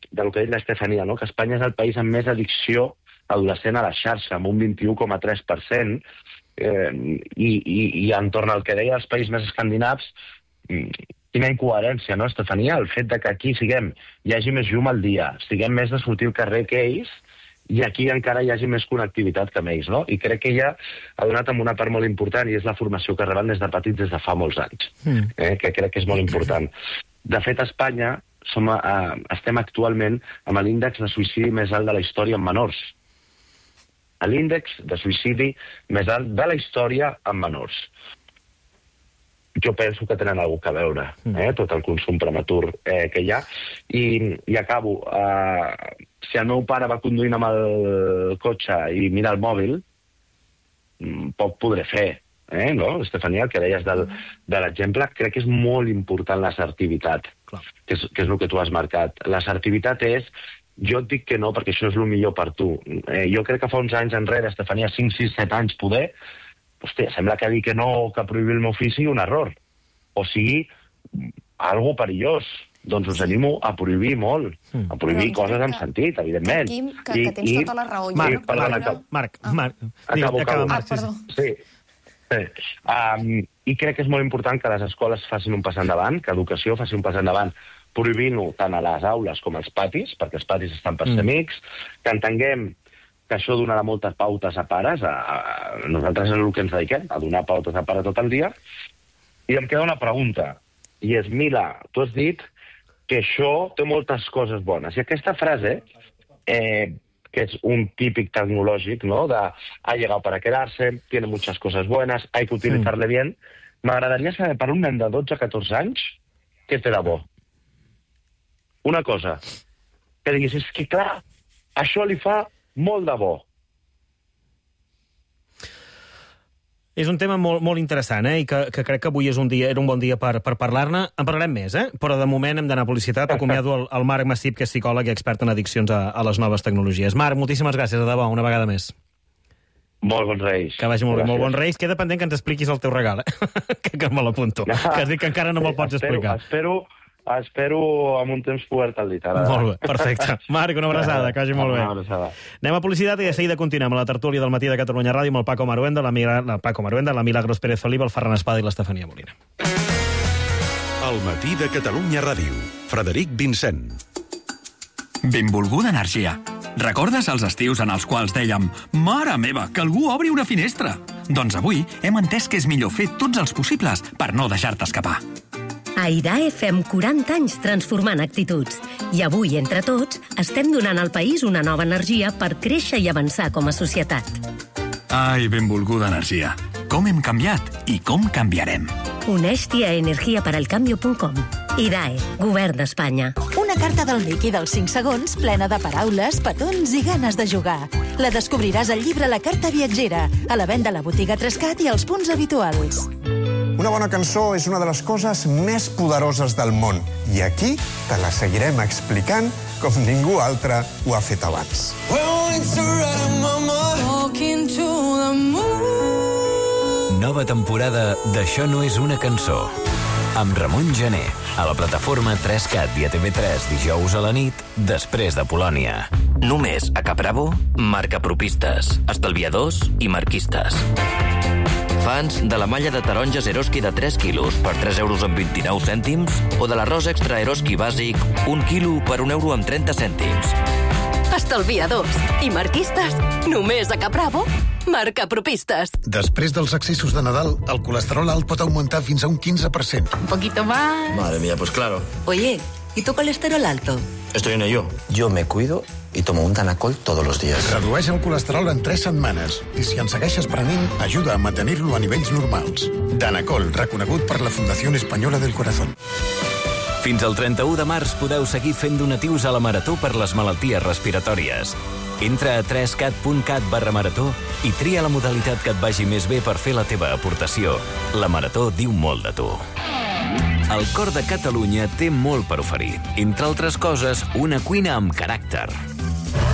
del que ha dit l'Estefania, no? Que Espanya és el país amb més addicció adolescent a la xarxa, amb un vint-i-u coma tres per cent, eh, i, i, i entorn al que deia els països més escandinaus, quina incoherència, no, Estefania? El fet de que aquí siguem, hi hagi més llum al dia, siguem més de sortir al carrer que ells, i aquí encara hi hagi més connectivitat que amb ells, no? I crec que ella ha donat amb una part molt important, i és la formació que reben des de petits des de fa molts anys, mm. eh? que crec que és molt important. De fet, a Espanya som, eh, estem actualment amb l'índex de suïcidi més alt de la història en menors. L'índex de suïcidi més alt de la història en menors. Jo penso que tenen alguna cosa a veure, eh? Tot el consum prematur eh, que hi ha. I, i acabo. Eh, si el meu pare va conduint amb el cotxe i mira el mòbil, poc podré fer. Eh, no, Estefania, el que deies del, de l'exemple, crec que és molt important l'assertivitat, que és, que és el que tu has marcat. L'assertivitat és, jo et dic que no perquè això és el millor per tu. Eh, jo crec que fa uns anys enrere, Estefania, cinc, sis, set anys, poder, hòstia, sembla que dir que no, que prohibir el meu fill sigui un error. O sigui, algo perillós. Doncs us animo a prohibir molt. Mm. A prohibir doncs coses amb sentit, evidentment. Quim, que, que tens I, tota la raó. Marc, no Marc, Marc, Marc, ah. Marc. Acabo, acabo. Ah, perdó. Sí. sí. Um, I crec que és molt important que les escoles facin un pas endavant, que l'educació faci un pas endavant, prohibint-ho tant a les aules com als patis, perquè els patis estan per ser mm. amics, que entenguem que això donarà moltes pautes a pares, a, a nosaltres és el que ens dediquem, a donar pautes a pares tot el dia, i em queda una pregunta, i és, mira, tu has dit que això té moltes coses bones, i aquesta frase, eh, que és un típic tecnològic, ¿no? De ha llegado para quedarse, tiene muchas cosas buenas, hay que utilizarle bien, m'agradaria saber per un nen de dotze a catorze anys què té de bo. Una cosa, que diguis, és que clar, això li fa molt de bo. És un tema molt, molt interessant, eh? I que, que crec que avui és un dia, era un bon dia per, per parlar-ne. En parlarem més, eh? Però de moment hem d'anar a publicitat. Acomiado el, el Marc Massip, que és psicòleg i expert en addiccions a, a les noves tecnologies. Marc, moltíssimes gràcies, de debò, una vegada més. Molt bons Reis. Que vagi molt bé, molt bons Reis. Queda pendent que ens expliquis el teu regal, eh? que, que me l'apunto. No. Que has dit que encara no me'l pots explicar. Espero... Espero amb un temps poder-te'l dit. Ara. Molt bé, perfecte. Marc, una abraçada, que vagi molt bé. Una abraçada. Anem a publicitat i de seguida continuem a la tertúlia del matí de Catalunya Ràdio amb el Paco Maruenda, la, la Paco Maruenda, la Milagros Pérez Felipe, el Ferran Espada i l'Estefania Molina. El matí de Catalunya Ràdio. Frederic Vincent. Benvolguda energia. Recordes els estius en els quals dèiem «Mare meva, que algú obri una finestra»? Doncs avui hem entès que és millor fer tots els possibles per no deixar-te escapar. A I D A E fem quaranta anys transformant actituds. I avui, entre tots, estem donant al país una nova energia per créixer i avançar com a societat. Ai, benvolguda energia. Com hem canviat i com canviarem. Uneix-t'hi a energia per al cambio punt com. I D A E, Govern d'Espanya. Una carta del Miqui dels cinc segons plena de paraules, petons i ganes de jugar. La descobriràs al llibre La Carta Viatgera, a la venda a la botiga Trescat i als punts habituals. Una bona cançó és una de les coses més poderoses del món. I aquí te la seguirem explicant com ningú altre ho ha fet abans. Nova temporada d'Això no és una cançó. Amb Ramon Gené, a la plataforma tres cat i a T V tres dijous a la nit, després de Polònia. Només a Capravo, marcapropistes, estalviadors i marquistes. Fans de la malla de taronges Eroski de tres quilos per tres euros amb vint-i-nou cèntims o de l'arròs extra Eroski bàsic un quilo per un euro amb trenta cèntims. Estalviadors i marquistes, només a Capravo, marcapropistes. Després dels excessos de Nadal, el colesterol alt pot augmentar fins a un quinze per cent. Un poquito más. Madre mía, pues claro. Oye, ¿y tu colesterol alto? Estoy en ello. Yo me cuido y tomo un Danacol todos los días. Redueix el colesterol en tres setmanes i si en segueixes prenent, ajuda a mantenir-lo a nivells normals. Danacol, reconegut per la Fundació Espanyola del Corazón. Fins al trenta-u de març podeu seguir fent donatius a la Marató per les malalties respiratòries. Entra a tres cat punt cat barra marató i tria la modalitat que et vagi més bé per fer la teva aportació. La Marató diu molt de tu. El cor de Catalunya té molt per oferir. Entre altres coses, una cuina amb caràcter.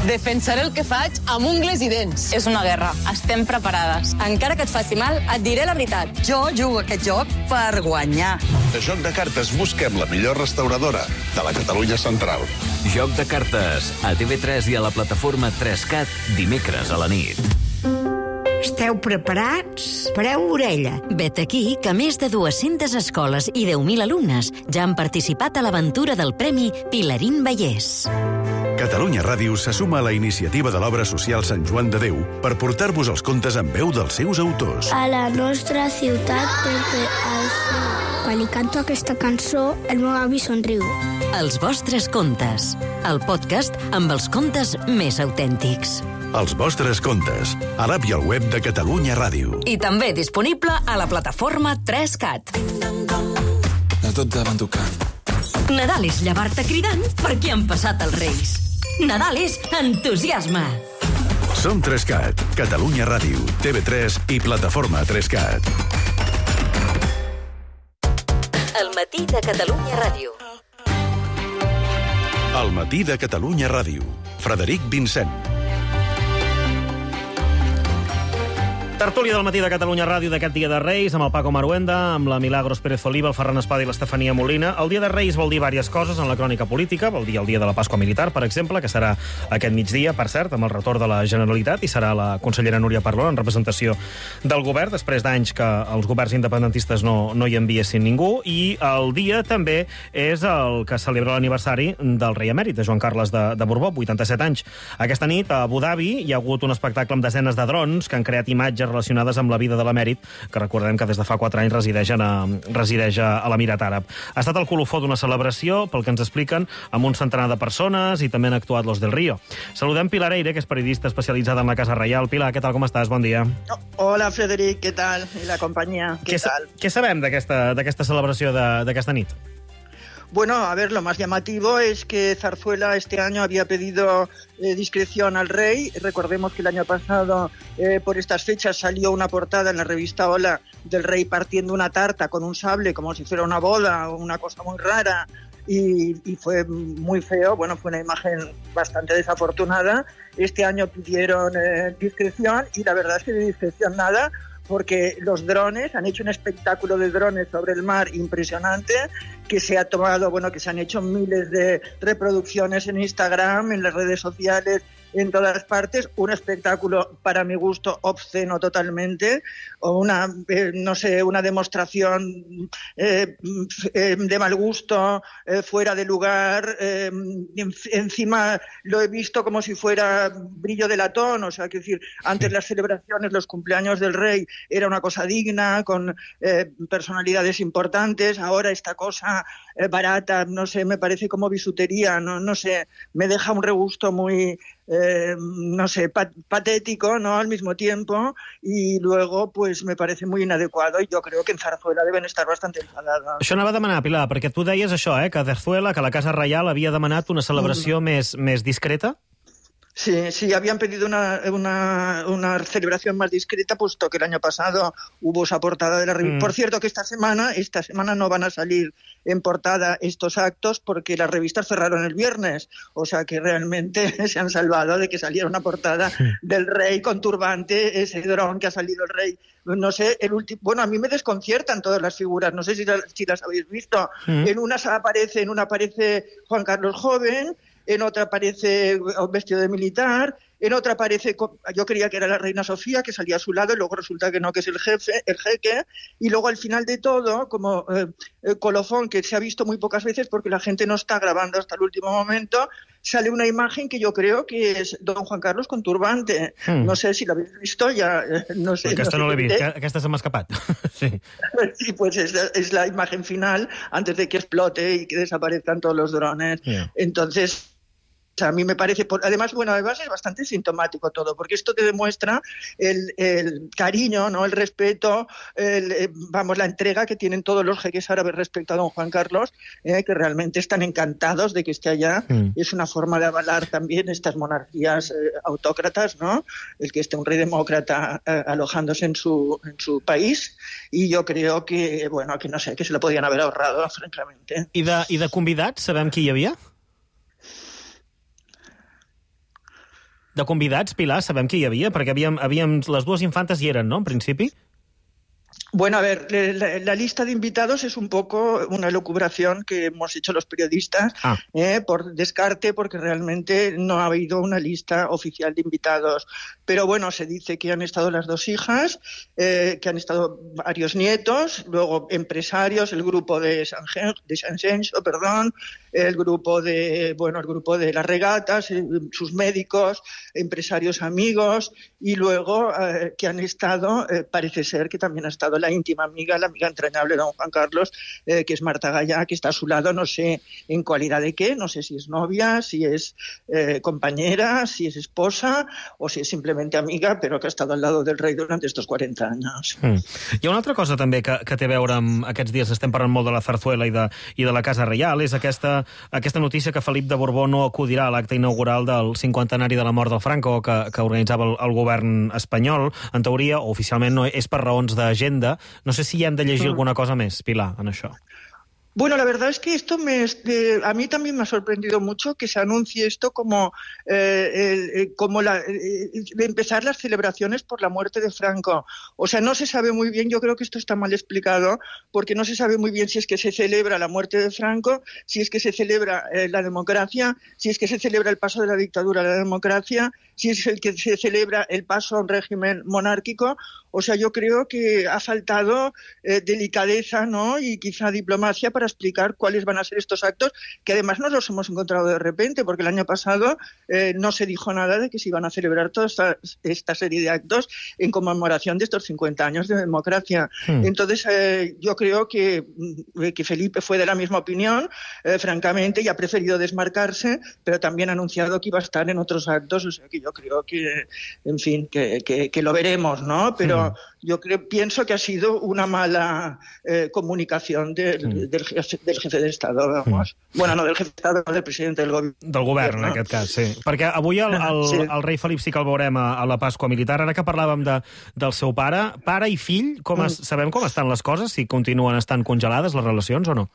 Defensaré el que faig amb ungles i dents. És una guerra. Estem preparades. Encara que et faci mal, et diré la veritat. Jo jugo aquest joc per guanyar. De Joc de Cartes busquem la millor restauradora de la Catalunya Central. Joc de Cartes, a T V tres i a la plataforma tres cat, dimecres a la nit. Esteu preparats? Pareu orella. Vet aquí que més de dues-centes escoles i deu mil alumnes ja han participat a l'aventura del Premi Pilarín Vallès. Catalunya Ràdio se suma a la iniciativa de l'obra social Sant Joan de Déu per portar-vos els contes en veu dels seus autors. A la nostra ciutat, perquè això... Quan li canto aquesta cançó, el meu avi somriu. Els vostres contes. El podcast amb els contes més autèntics. Els vostres contes, a l'app i al web de Catalunya Ràdio. I també disponible a la plataforma tres cat. A tot davant tocant. Nadal és llevar-te cridant perquè han passat els Reis. Nadal és entusiasme. Som tres cat, Catalunya Ràdio, T V tres i plataforma tres cat. El matí de Catalunya Ràdio. El matí de Catalunya Ràdio. Frederic Vincent. Tertúlia del matí de Catalunya Ràdio d'aquest dia de Reis, amb el Paco Maruenda, amb la Milagros Pérez Oliva, el Ferran Espada i l'Estefania Molina. El dia de Reis vol dir diverses coses en la crònica política. Vol dir el dia de la Pasqua Militar, per exemple, que serà aquest migdia, per cert, amb el retorn de la Generalitat, i serà la consellera Núria Parlon en representació del govern, després d'anys que els governs independentistes no, no hi enviessin ningú. I el dia també és el que celebra l'aniversari del rei emèrit, de Joan Carles de, de Borbó, vuitanta-set anys. Aquesta nit, a Abu Dhabi, hi ha hagut un espectacle amb desenes de drons que han creat imatges relacionades amb la vida de l'emèrit, que recordem que des de fa quatre anys resideix, en a, resideix a, a l'Emirat Àrab. Ha estat el colofó d'una celebració, pel que ens expliquen, amb un centenar de persones i també han actuat los del Río. Saludem Pilar Eire, que és periodista especialitzada en la Casa Reial. Pilar, què tal, com estàs? Bon dia. Hola, Frederic, què tal? I la companyia, què, què tal? Què sabem d'aquesta celebració d'aquesta nit? Bueno, a ver, lo más llamativo es que Zarzuela este año había pedido eh, discreción al rey. Recordemos que el año pasado, eh, por estas fechas, salió una portada en la revista Hola del rey partiendo una tarta con un sable como si fuera una boda o una cosa muy rara. Y, y fue muy feo, bueno, fue una imagen bastante desafortunada. Este año pidieron eh, discreción y la verdad es que de discreción nada, porque los drones, han hecho un espectáculo de drones sobre el mar impresionante, que se ha tomado, bueno, que se han hecho miles de reproducciones en Instagram, en las redes sociales, en todas partes, un espectáculo para mi gusto obsceno totalmente, o una, eh, no sé, una demostración eh, eh, de mal gusto, eh, fuera de lugar, eh, en, encima lo he visto como si fuera brillo de latón, o sea, que decir, antes las celebraciones, los cumpleaños del rey era una cosa digna, con eh, personalidades importantes, ahora esta cosa eh, barata, no sé, me parece como bisutería, no, no sé, me deja un regusto muy... Eh, no sé, pat patético, ¿no?, al mismo tiempo, y luego pues me parece muy inadecuado, y yo creo que en Zarzuela deben estar bastante enfadados. Això anava a demanar, Pilar, perquè tu deies això, eh, que Zarzuela, que la Casa Reial havia demanat una celebració mm. més, més discreta? Sí, sí, habían pedido una, una, una celebración más discreta, puesto que el año pasado hubo esa portada de la revista. Mm. Por cierto, que esta semana, esta semana no van a salir en portada estos actos porque las revistas cerraron el viernes. O sea que realmente se han salvado de que saliera una portada sí. del rey con turbante, ese dron que ha salido el rey. No sé, el último. Bueno, a mí me desconciertan todas las figuras. No sé si, la, si las habéis visto. Mm. En una aparece, en una aparece Juan Carlos joven. En otra aparece vestido de militar, en otra aparece, yo creía que era la reina Sofía, que salía a su lado, y luego resulta que no, que es el jefe, el jeque, y luego al final de todo, como eh, colofón, que se ha visto muy pocas veces porque la gente no está grabando hasta el último momento, sale una imagen que yo creo que es don Juan Carlos con turbante. Mm. No sé si la habéis visto, ya no sé. Aquesta no, no l'he vist, aquesta se m'ha escapat. Sí, sí pues es, es la imagen final antes de que explote y que desaparezcan todos los drones. Yeah. Entonces... A mí me parece, además, bueno, además es bastante sintomático todo, porque esto te demuestra el, el cariño, ¿no? El respeto, el, vamos, la entrega que tienen todos los jeques árabes respecto a don Juan Carlos, eh, que realmente están encantados de que esté allá. Mm. Es una forma de avalar también estas monarquías eh, autócratas, ¿no? El que esté un rey demócrata eh, alojándose en su, en su país, y yo creo que, bueno, que no sé, que se lo podían haber ahorrado, francamente. I de, i de convidats, sabem qui hi havia? De convidats, Pilar, sabem qui hi havia? Perquè havíem, havíem, les dues infantes hi eren, no?, en principi? Bueno, a ver, la, la lista de invitados es un poco una elucubración que hemos hecho los periodistas ah. eh, por descarte, porque realmente no ha habido una lista oficial de invitados. Pero bueno, se dice que han estado las dos hijas, eh, que han estado varios nietos, luego empresarios, el grupo de San, de San Censo, perdón, el grupo de, bueno, el grupo de las regatas, eh, sus médicos, empresarios amigos, y luego eh, que han estado, eh, parece ser que también ha estado la íntima amiga, la amiga entrañable de don Juan Carlos, eh, que es Marta Gallá, que está a su lado, no sé en cualidad de qué, no sé si es novia, si es eh, compañera, si es esposa o si es simplemente amiga, però que ha estat al lado del rei durant estos quaranta anys. Mm. Hi ha una altra cosa també que, que té a veure amb aquests dies, estem parlant molt de la Zarzuela i de, i de la Casa Reial, és aquesta, aquesta notícia que Felip de Borbó no acudirà a l'acte inaugural del cinquantenari de la mort del Franco que, que organitzava el, el govern espanyol. En teoria, o oficialment, no és per raons d'agenda. No sé si hi hem de llegir alguna cosa més, Pilar, en això. Bueno, la verdad es que esto me, eh, a mí también me ha sorprendido mucho que se anuncie esto como, eh, el, como la, eh, empezar las celebraciones por la muerte de Franco. O sea, no se sabe muy bien, yo creo que esto está mal explicado, porque no se sabe muy bien si es que se celebra la muerte de Franco, si es que se celebra eh, la democracia, si es que se celebra el paso de la dictadura a la democracia, si es el que se celebra el paso a un régimen monárquico. O sea, yo creo que ha faltado eh, delicadeza, ¿no?, y quizá diplomacia para explicar cuáles van a ser estos actos, que además no los hemos encontrado de repente, porque el año pasado eh, no se dijo nada de que se iban a celebrar toda esta, esta serie de actos en conmemoración de estos cincuenta años de democracia. Hmm. Entonces, eh, yo creo que, que Felipe fue de la misma opinión, eh, francamente, y ha preferido desmarcarse, pero también ha anunciado que iba a estar en otros actos, o sea que yo creo que, en fin, que, que, que lo veremos, ¿no? Pero hmm. yo creo, pienso que ha sido una mala eh, comunicación del, hmm. del del jefe d'Estat, vamos. Mm. Bueno, no del jefe d'Estat, no del president del govern. Del govern, en aquest cas, sí. Perquè avui el, el, sí. el rei Felip sí que el veurem a, a la Pasqua Militar. Ara que parlàvem de, del seu pare, pare i fill, com es, mm. sabem com estan les coses? Si continuen estant congelades les relacions o no?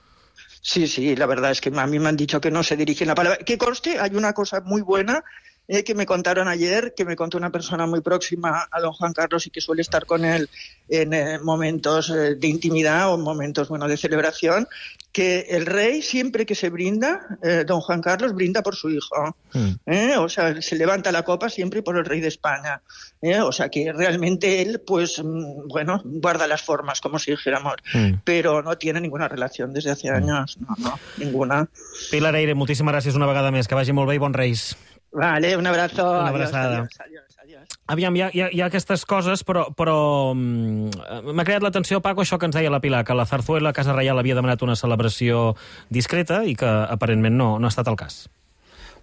Sí, sí, la verdad es que a mí me han dicho que no se dirigen la palabra. Que conste, hay una cosa muy buena Eh, que me contaron ayer, que me contó una persona muy próxima a don Juan Carlos y que suele estar con él en eh, momentos eh, de intimidad o momentos, bueno, de celebración, que el rey siempre que se brinda, eh, don Juan Carlos brinda por su hijo. Mm. ¿eh? O sea, se levanta la copa siempre por el rey de España. ¿eh? O sea, que realmente él, pues, bueno, guarda las formas, como si dijéramos, mm. pero no tiene ninguna relación desde hace años. No, no, ninguna. Pilar Eyre, moltíssimes gràcies una vegada més. Que vagi molt bé i bons Reis. Vale, un abrazo. Una abraçada. Adiós, adiós, adiós. Aviam, hi ha, hi, ha, hi ha aquestes coses, però, però m'ha creat l'atenció, Paco, això que ens deia la Pilar, que la Zarzuela, Casa Reial, havia demanat una celebració discreta i que aparentment no, no ha estat el cas.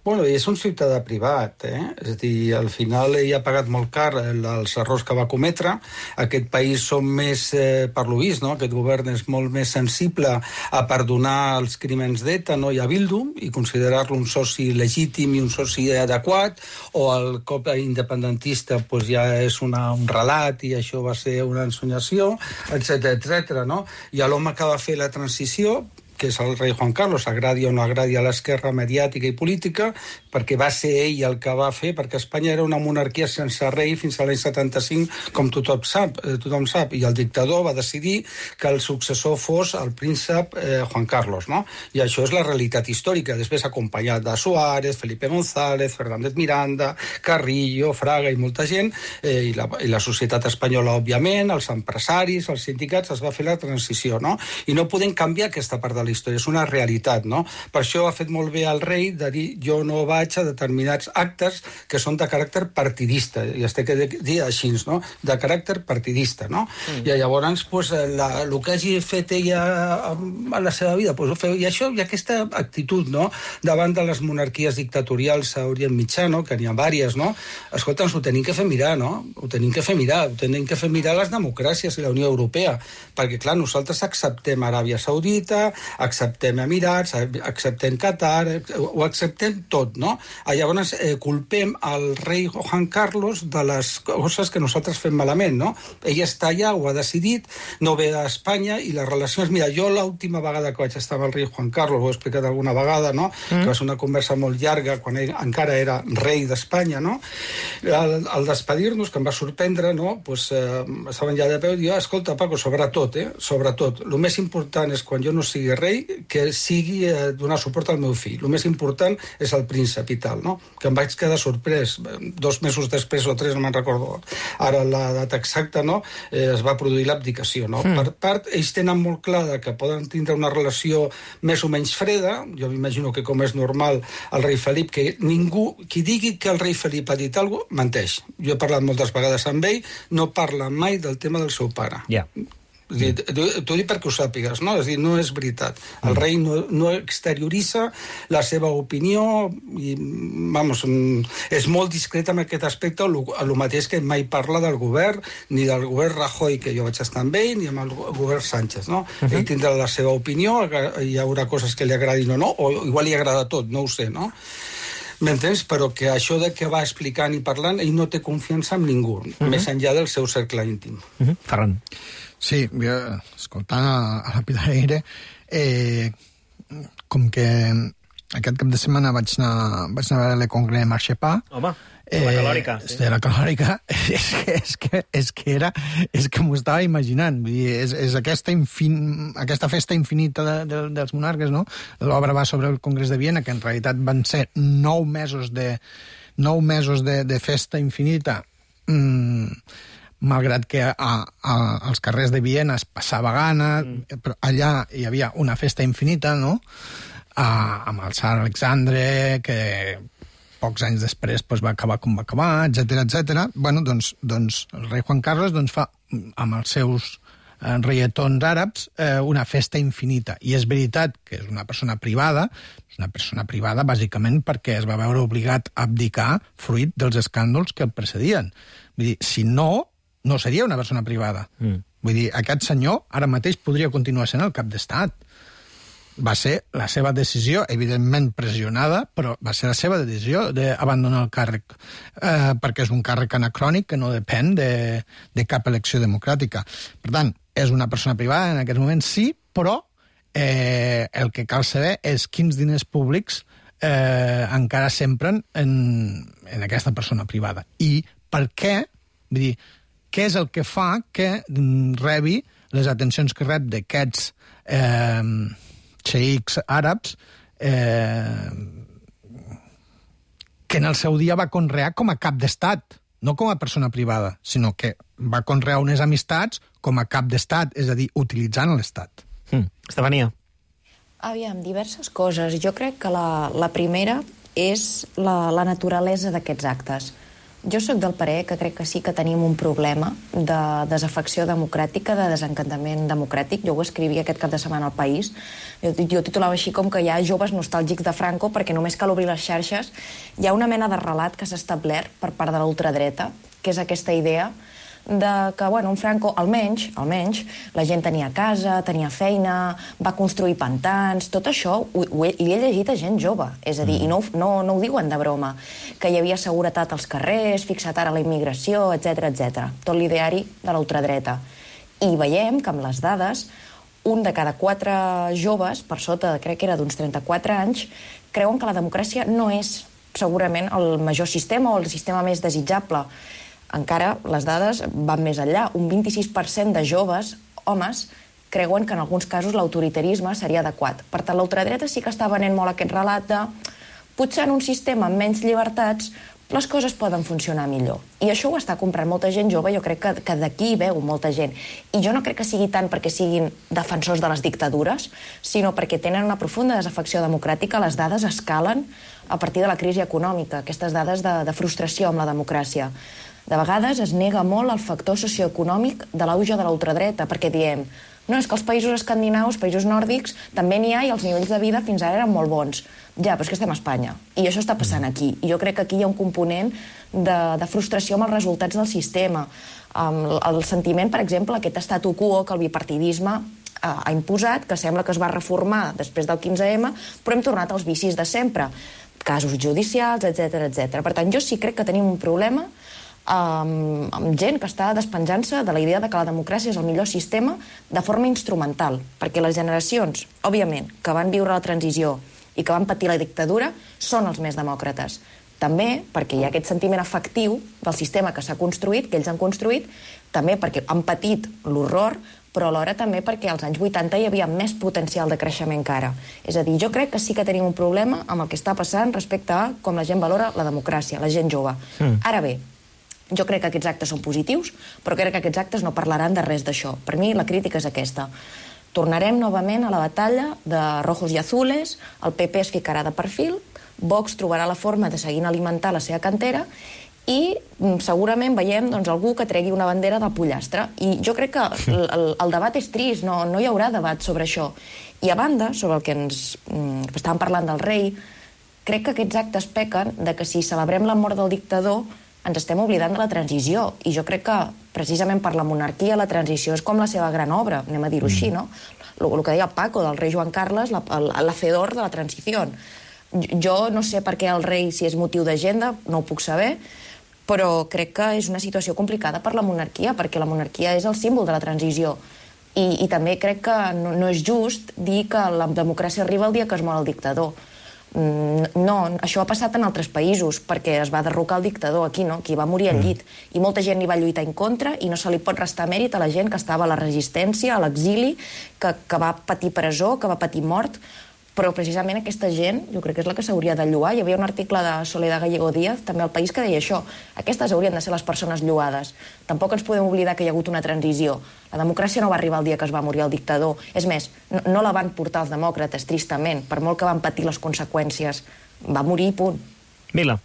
Bueno, és un ciutadà privat, eh? És a dir, al final ell ha pagat molt car els errors que va cometre. Aquest país som més, eh, per lo vist, no? Aquest govern és molt més sensible a perdonar els crímens d'ETA, no? I a Bildu, i considerar-lo un soci legítim i un soci adequat, o el cop independentista pues, ja és una, un relat i això va ser una ensenyació, etcètera, etcètera, no? I a l'home que va fer la transició, que és el rei Juan Carlos, agradi o no agradi a l'esquerra mediàtica i política, perquè va ser ell el que va fer, perquè Espanya era una monarquia sense rei fins a l'any setanta-cinc, com tothom sap, eh, tothom sap, i el dictador va decidir que el successor fos el príncep eh, Juan Carlos, no? I això és la realitat històrica, després acompanyat de Suárez, Felipe González, Fernández Miranda, Carrillo, Fraga i molta gent, eh, i, la, i la societat espanyola, òbviament, els empresaris, els sindicats, es va fer la transició, no? I no podem canviar aquesta part de la història, és una realitat, no? Per això ha fet molt bé el rei de dir jo no vaig a determinats actes que són de caràcter partidista, i es té que dir així, no? De caràcter partidista, no? Mm. I llavors, pues, la, el que hagi fet ella a la seva vida, pues, ho feu. I això, i aquesta actitud, no? Davant de les monarquies dictatorials a Orient Mitjà, no? Que n'hi ha vàries, no? Escolta, ens ho tenim que fer mirar, no? Ho tenim que fer mirar, ho tenim que fer mirar les democràcies i la Unió Europea, perquè, clar, nosaltres acceptem Aràbia Saudita, acceptem Emirats, acceptem Qatar, ho acceptem tot, no? Llavors eh, culpem el rei Juan Carlos de les coses que nosaltres fem malament, no? Ell està allà, ho ha decidit, no ve a Espanya, i les relacions... Mira, jo l'última vegada que vaig estar amb el rei Juan Carlos, ho he explicat alguna vegada, no? Mm. Que va ser una conversa molt llarga, quan ell encara era rei d'Espanya, no? Al, al despedir-nos, que em va sorprendre, no? Pues, eh, estaven ja de peu, i jo, escolta, Paco, sobretot, eh? Sobretot, el més important és quan jo no sigui rei, que sigui eh, donar suport al meu fill. El més important és el príncep i tal, no? Que em vaig quedar sorprès. Dos mesos després o tres, no me'n recordo ara la data exacta, no? Eh, es va produir l'abdicació, no? Mm. Per part, ells tenen molt clar que poden tindre una relació més o menys freda. Jo m'imagino que, com és normal, el rei Felip, que ningú, qui digui que el rei Felip ha dit alguna cosa, menteix. Jo he parlat moltes vegades amb ell, no parla mai del tema del seu pare. Ja. Yeah. T'ho dic perquè ho sàpigues, no? És dir, no és veritat. El rei no, no exterioritza la seva opinió i, vamos, és molt discret en aquest aspecte, el mateix que mai parla del govern, ni del govern Rajoy, que jo vaig estar amb ell, ni amb el govern Sánchez, no? Uh-huh. Ell tindrà la seva opinió, hi haurà coses que li agradin o no, o igual li agrada tot, no ho sé, no? M'entens? Però que això de que va explicant i parlant, ell no té confiança en ningú, uh-huh. més enllà del seu cercle íntim. Uh-huh. Ferran. Sí, jo, escoltant a, a la Pilar Aire, eh, com que aquest cap de setmana vaig anar, vaig anar a veure Le Congrès Marchepà. Home, eh, la calòrica. Sí. De la calòrica, és que, és que, és que era, és que m'ho estava imaginant. Vull dir, és, és aquesta, infin, aquesta festa infinita de, de, dels monarques, no? L'obra va sobre el Congrés de Viena, que en realitat van ser nou mesos de, nou mesos de, de festa infinita, mm, malgrat que a, a, als carrers de Viena es passava gana, mm. però allà hi havia una festa infinita, no?, a, amb el tsar Alexandre, que pocs anys després pues, va acabar com va acabar, etcètera, etcètera. Bueno, doncs, doncs el rei Juan Carlos doncs, fa, amb els seus eh, reietons àrabs, eh, una festa infinita. I és veritat que és una persona privada, és una persona privada bàsicament perquè es va veure obligat a abdicar fruit dels escàndols que el precedien. Vull dir, si no, no seria una persona privada. Mm. Vull dir, aquest senyor ara mateix podria continuar sent el cap d'estat. Va ser la seva decisió, evidentment pressionada, però va ser la seva decisió d'abandonar el càrrec, eh, perquè és un càrrec anacrònic que no depèn de, de cap elecció democràtica. Per tant, és una persona privada, en aquest moment sí, però eh, el que cal saber és quins diners públics eh, encara s'empren en, en aquesta persona privada. I per què, vull dir, què és el que fa que rebi les atencions que rep d'aquests eh, xeics àrabs eh, que en el seu dia va conrear com a cap d'estat, no com a persona privada, sinó que va conrear unes amistats com a cap d'estat, és a dir, utilitzant l'estat. Mm. Estefania. Aviam, diverses coses. Jo crec que la, la primera és la, la naturalesa d'aquests actes. Jo sóc del parer que crec que sí que tenim un problema de desafecció democràtica, de desencantament democràtic. Jo ho escrivia aquest cap de setmana al País. Jo, jo titulava així com que hi ha joves nostàlgics de Franco perquè només cal obrir les xarxes. Hi ha una mena de relat que s'ha establert per part de la ultradreta, que és aquesta idea de que, bueno, un Franco, almenys, almenys, la gent tenia casa, tenia feina, va construir pantans, tot això ho, ho he, li he llegit a gent jove, és a dir, mm. i no, no, no ho diuen de broma, que hi havia seguretat als carrers, fixat ara la immigració, etcètera, etcètera. Tot l'ideari de la ultradreta. I veiem que amb les dades, un de cada quatre joves, per sota, crec que era d'uns trenta-quatre anys, creuen que la democràcia no és segurament el major sistema o el sistema més desitjable. Encara les dades van més enllà. Un vint-i-sis per cent de joves, homes, creuen que en alguns casos l'autoritarisme seria adequat. Per tant, la ultradreta sí que està venent molt aquest relat de potser en un sistema amb menys llibertats les coses poden funcionar millor. I això ho està comprant molta gent jove, jo crec que, que d'aquí hi veu molta gent. I jo no crec que sigui tant perquè siguin defensors de les dictadures, sinó perquè tenen una profunda desafecció democràtica. Les dades escalen a partir de la crisi econòmica, aquestes dades de, de frustració amb la democràcia. De vegades es nega molt el factor socioeconòmic de l'auge de la ultradreta, perquè diem, no, és que els països escandinaus, països nòrdics, també n'hi ha i els nivells de vida fins ara eren molt bons. Ja, però és que estem a Espanya, i això està passant aquí. I jo crec que aquí hi ha un component de, de frustració amb els resultats del sistema. Um, el sentiment, per exemple, aquest statu quo que el bipartidisme uh, ha imposat, que sembla que es va reformar després del quinze ema, però hem tornat als vicis de sempre. Casos judicials, etcètera, etcètera. Per tant, jo sí crec que tenim un problema amb, amb gent que està despenjant-se de la idea de que la democràcia és el millor sistema de forma instrumental, perquè les generacions, òbviament, que van viure la transició i que van patir la dictadura, són els més demòcrates. També perquè hi ha aquest sentiment afectiu del sistema que s'ha construït, que ells han construït, també perquè han patit l'horror, però alhora també perquè als anys vuitanta hi havia més potencial de creixement que ara. És a dir, jo crec que sí que tenim un problema amb el que està passant respecte a com la gent valora la democràcia, la gent jove. Mm. Ara bé, jo crec que aquests actes són positius, però crec que aquests actes no parlaran de res d'això. Per mi la crítica és aquesta. Tornarem novament a la batalla de rojos i azules, el P P es ficarà de perfil, Vox trobarà la forma de seguir alimentar la seva cantera i segurament veiem doncs, algú que tregui una bandera del pollastre. I jo crec que el, el, el debat és trist, no, no hi haurà debat sobre això. I a banda, sobre el que ens mm, estàvem parlant del rei, crec que aquests actes pequen de que si celebrem la mort del dictador ens estem oblidant de la transició. I jo crec que, precisament per la monarquia, la transició és com la seva gran obra, anem a dir-ho mm. així, no? El, el que deia Paco, del rei Joan Carles, la, l'hacedor de la transició. Jo no sé per què el rei, si és motiu d'agenda, no ho puc saber, però crec que és una situació complicada per la monarquia, perquè la monarquia és el símbol de la transició. I, i també crec que no, no és just dir que la democràcia arriba el dia que es mor el dictador. No, això ha passat en altres països, perquè es va derrocar el dictador, aquí no, aquí va morir al llit. I molta gent hi va lluitar en contra i no se li pot restar mèrit a la gent que estava a la resistència, a l'exili, que, que va patir presó, que va patir mort. Però precisament aquesta gent, jo crec que és la que s'hauria de lloar. Hi havia un article de Soledad Gallego Díaz, també al País, que deia això. Aquestes haurien de ser les persones lloades. Tampoc ens podem oblidar que hi ha hagut una transició. La democràcia no va arribar el dia que es va morir el dictador. És més, no, no la van portar els demòcrates, tristament, per molt que van patir les conseqüències. Va morir i punt. Mila.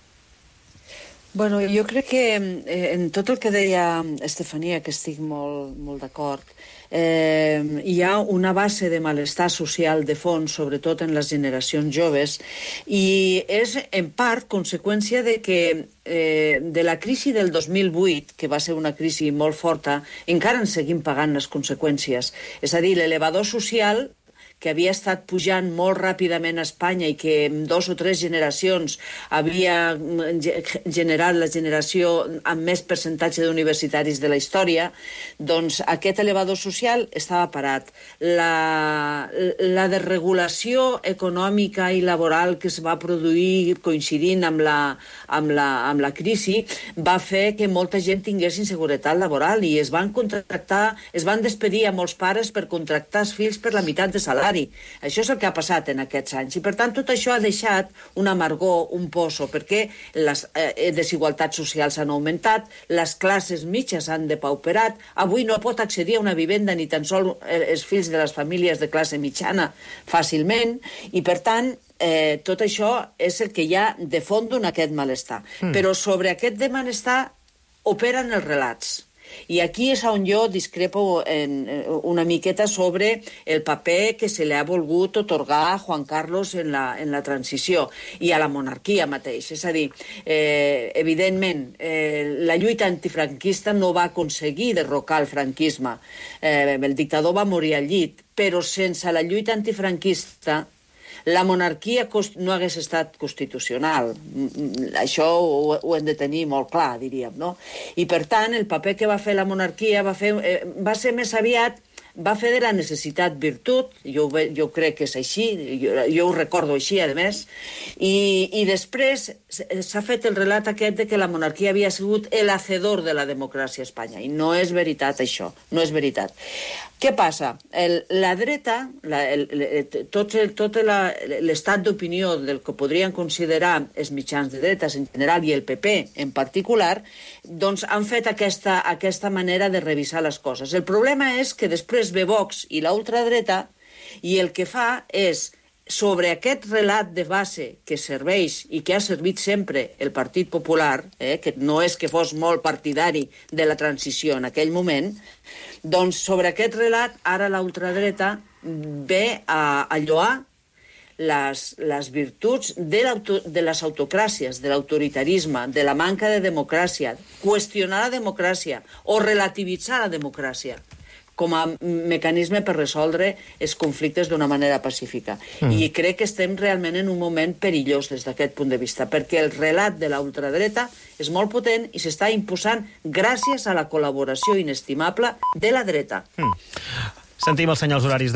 Bueno, jo crec que eh, en tot el que deia Estefania, que estic molt, molt d'acord, eh, hi ha una base de malestar social de fons, sobretot en les generacions joves, i és en part conseqüència de que eh, de la crisi del dos mil vuit, que va ser una crisi molt forta, encara en seguim pagant les conseqüències. És a dir, l'elevador social que havia estat pujant molt ràpidament a Espanya i que en dos o tres generacions havia generat la generació amb més percentatge d'universitaris de la història, doncs aquest elevador social estava parat. La, la desregulació econòmica i laboral que es va produir coincidint amb la, amb la, amb la crisi va fer que molta gent tingués inseguretat laboral i es van contractar, es van despedir a molts pares per contractar els fills per la meitat de salari. Això és el que ha passat en aquests anys i per tant tot això ha deixat un amargor, un poso, perquè les eh, desigualtats socials han augmentat, les classes mitges han depauperat, avui no pot accedir a una vivenda ni tan sols els fills de les famílies de classe mitjana fàcilment i per tant eh, tot això és el que hi ha de fons en aquest malestar. Mm. Però sobre aquest de malestar operen els relats. I aquí és on jo discrepo en, una miqueta sobre el paper que se li ha volgut otorgar a Juan Carlos en la, en la transició i a la monarquia mateix. És a dir, eh, evidentment, eh, la lluita antifranquista no va aconseguir derrocar el franquisme. Eh, el dictador va morir al llit, però sense la lluita antifranquista la monarquia no hagués estat constitucional. Això ho, ho hem de tenir molt clar, diríem, no? I, per tant, el paper que va fer la monarquia va, fer, eh, va ser més aviat, va fer de la necessitat virtut, jo, jo crec que és així, jo, jo ho recordo així, a més, i, i després s'ha fet el relat aquest de que la monarquia havia sigut el hacedor de la democràcia a Espanya, i no és veritat això, no és veritat. Què passa? El, la dreta, la, el, el, tot, el, tot l'estat d'opinió del que podrien considerar els mitjans de dretes en general i el P P en particular, doncs han fet aquesta, aquesta manera de revisar les coses. El problema és que després ve Vox i la ultradreta i el que fa és, sobre aquest relat de base que serveix i que ha servit sempre el Partit Popular, eh, que no és que fos molt partidari de la transició en aquell moment, doncs sobre aquest relat ara la ultradreta ve a, a lloar les, les virtuts de, de les autocràcies, de l'autoritarisme, de la manca de democràcia, qüestionar la democràcia o relativitzar la democràcia com a mecanisme per resoldre els conflictes d'una manera pacífica. Mm. I crec que estem realment en un moment perillós des d'aquest punt de vista, perquè el relat de la ultradreta és molt potent i s'està imposant gràcies a la col·laboració inestimable de la dreta. Mm. Sentim els senyals horaris de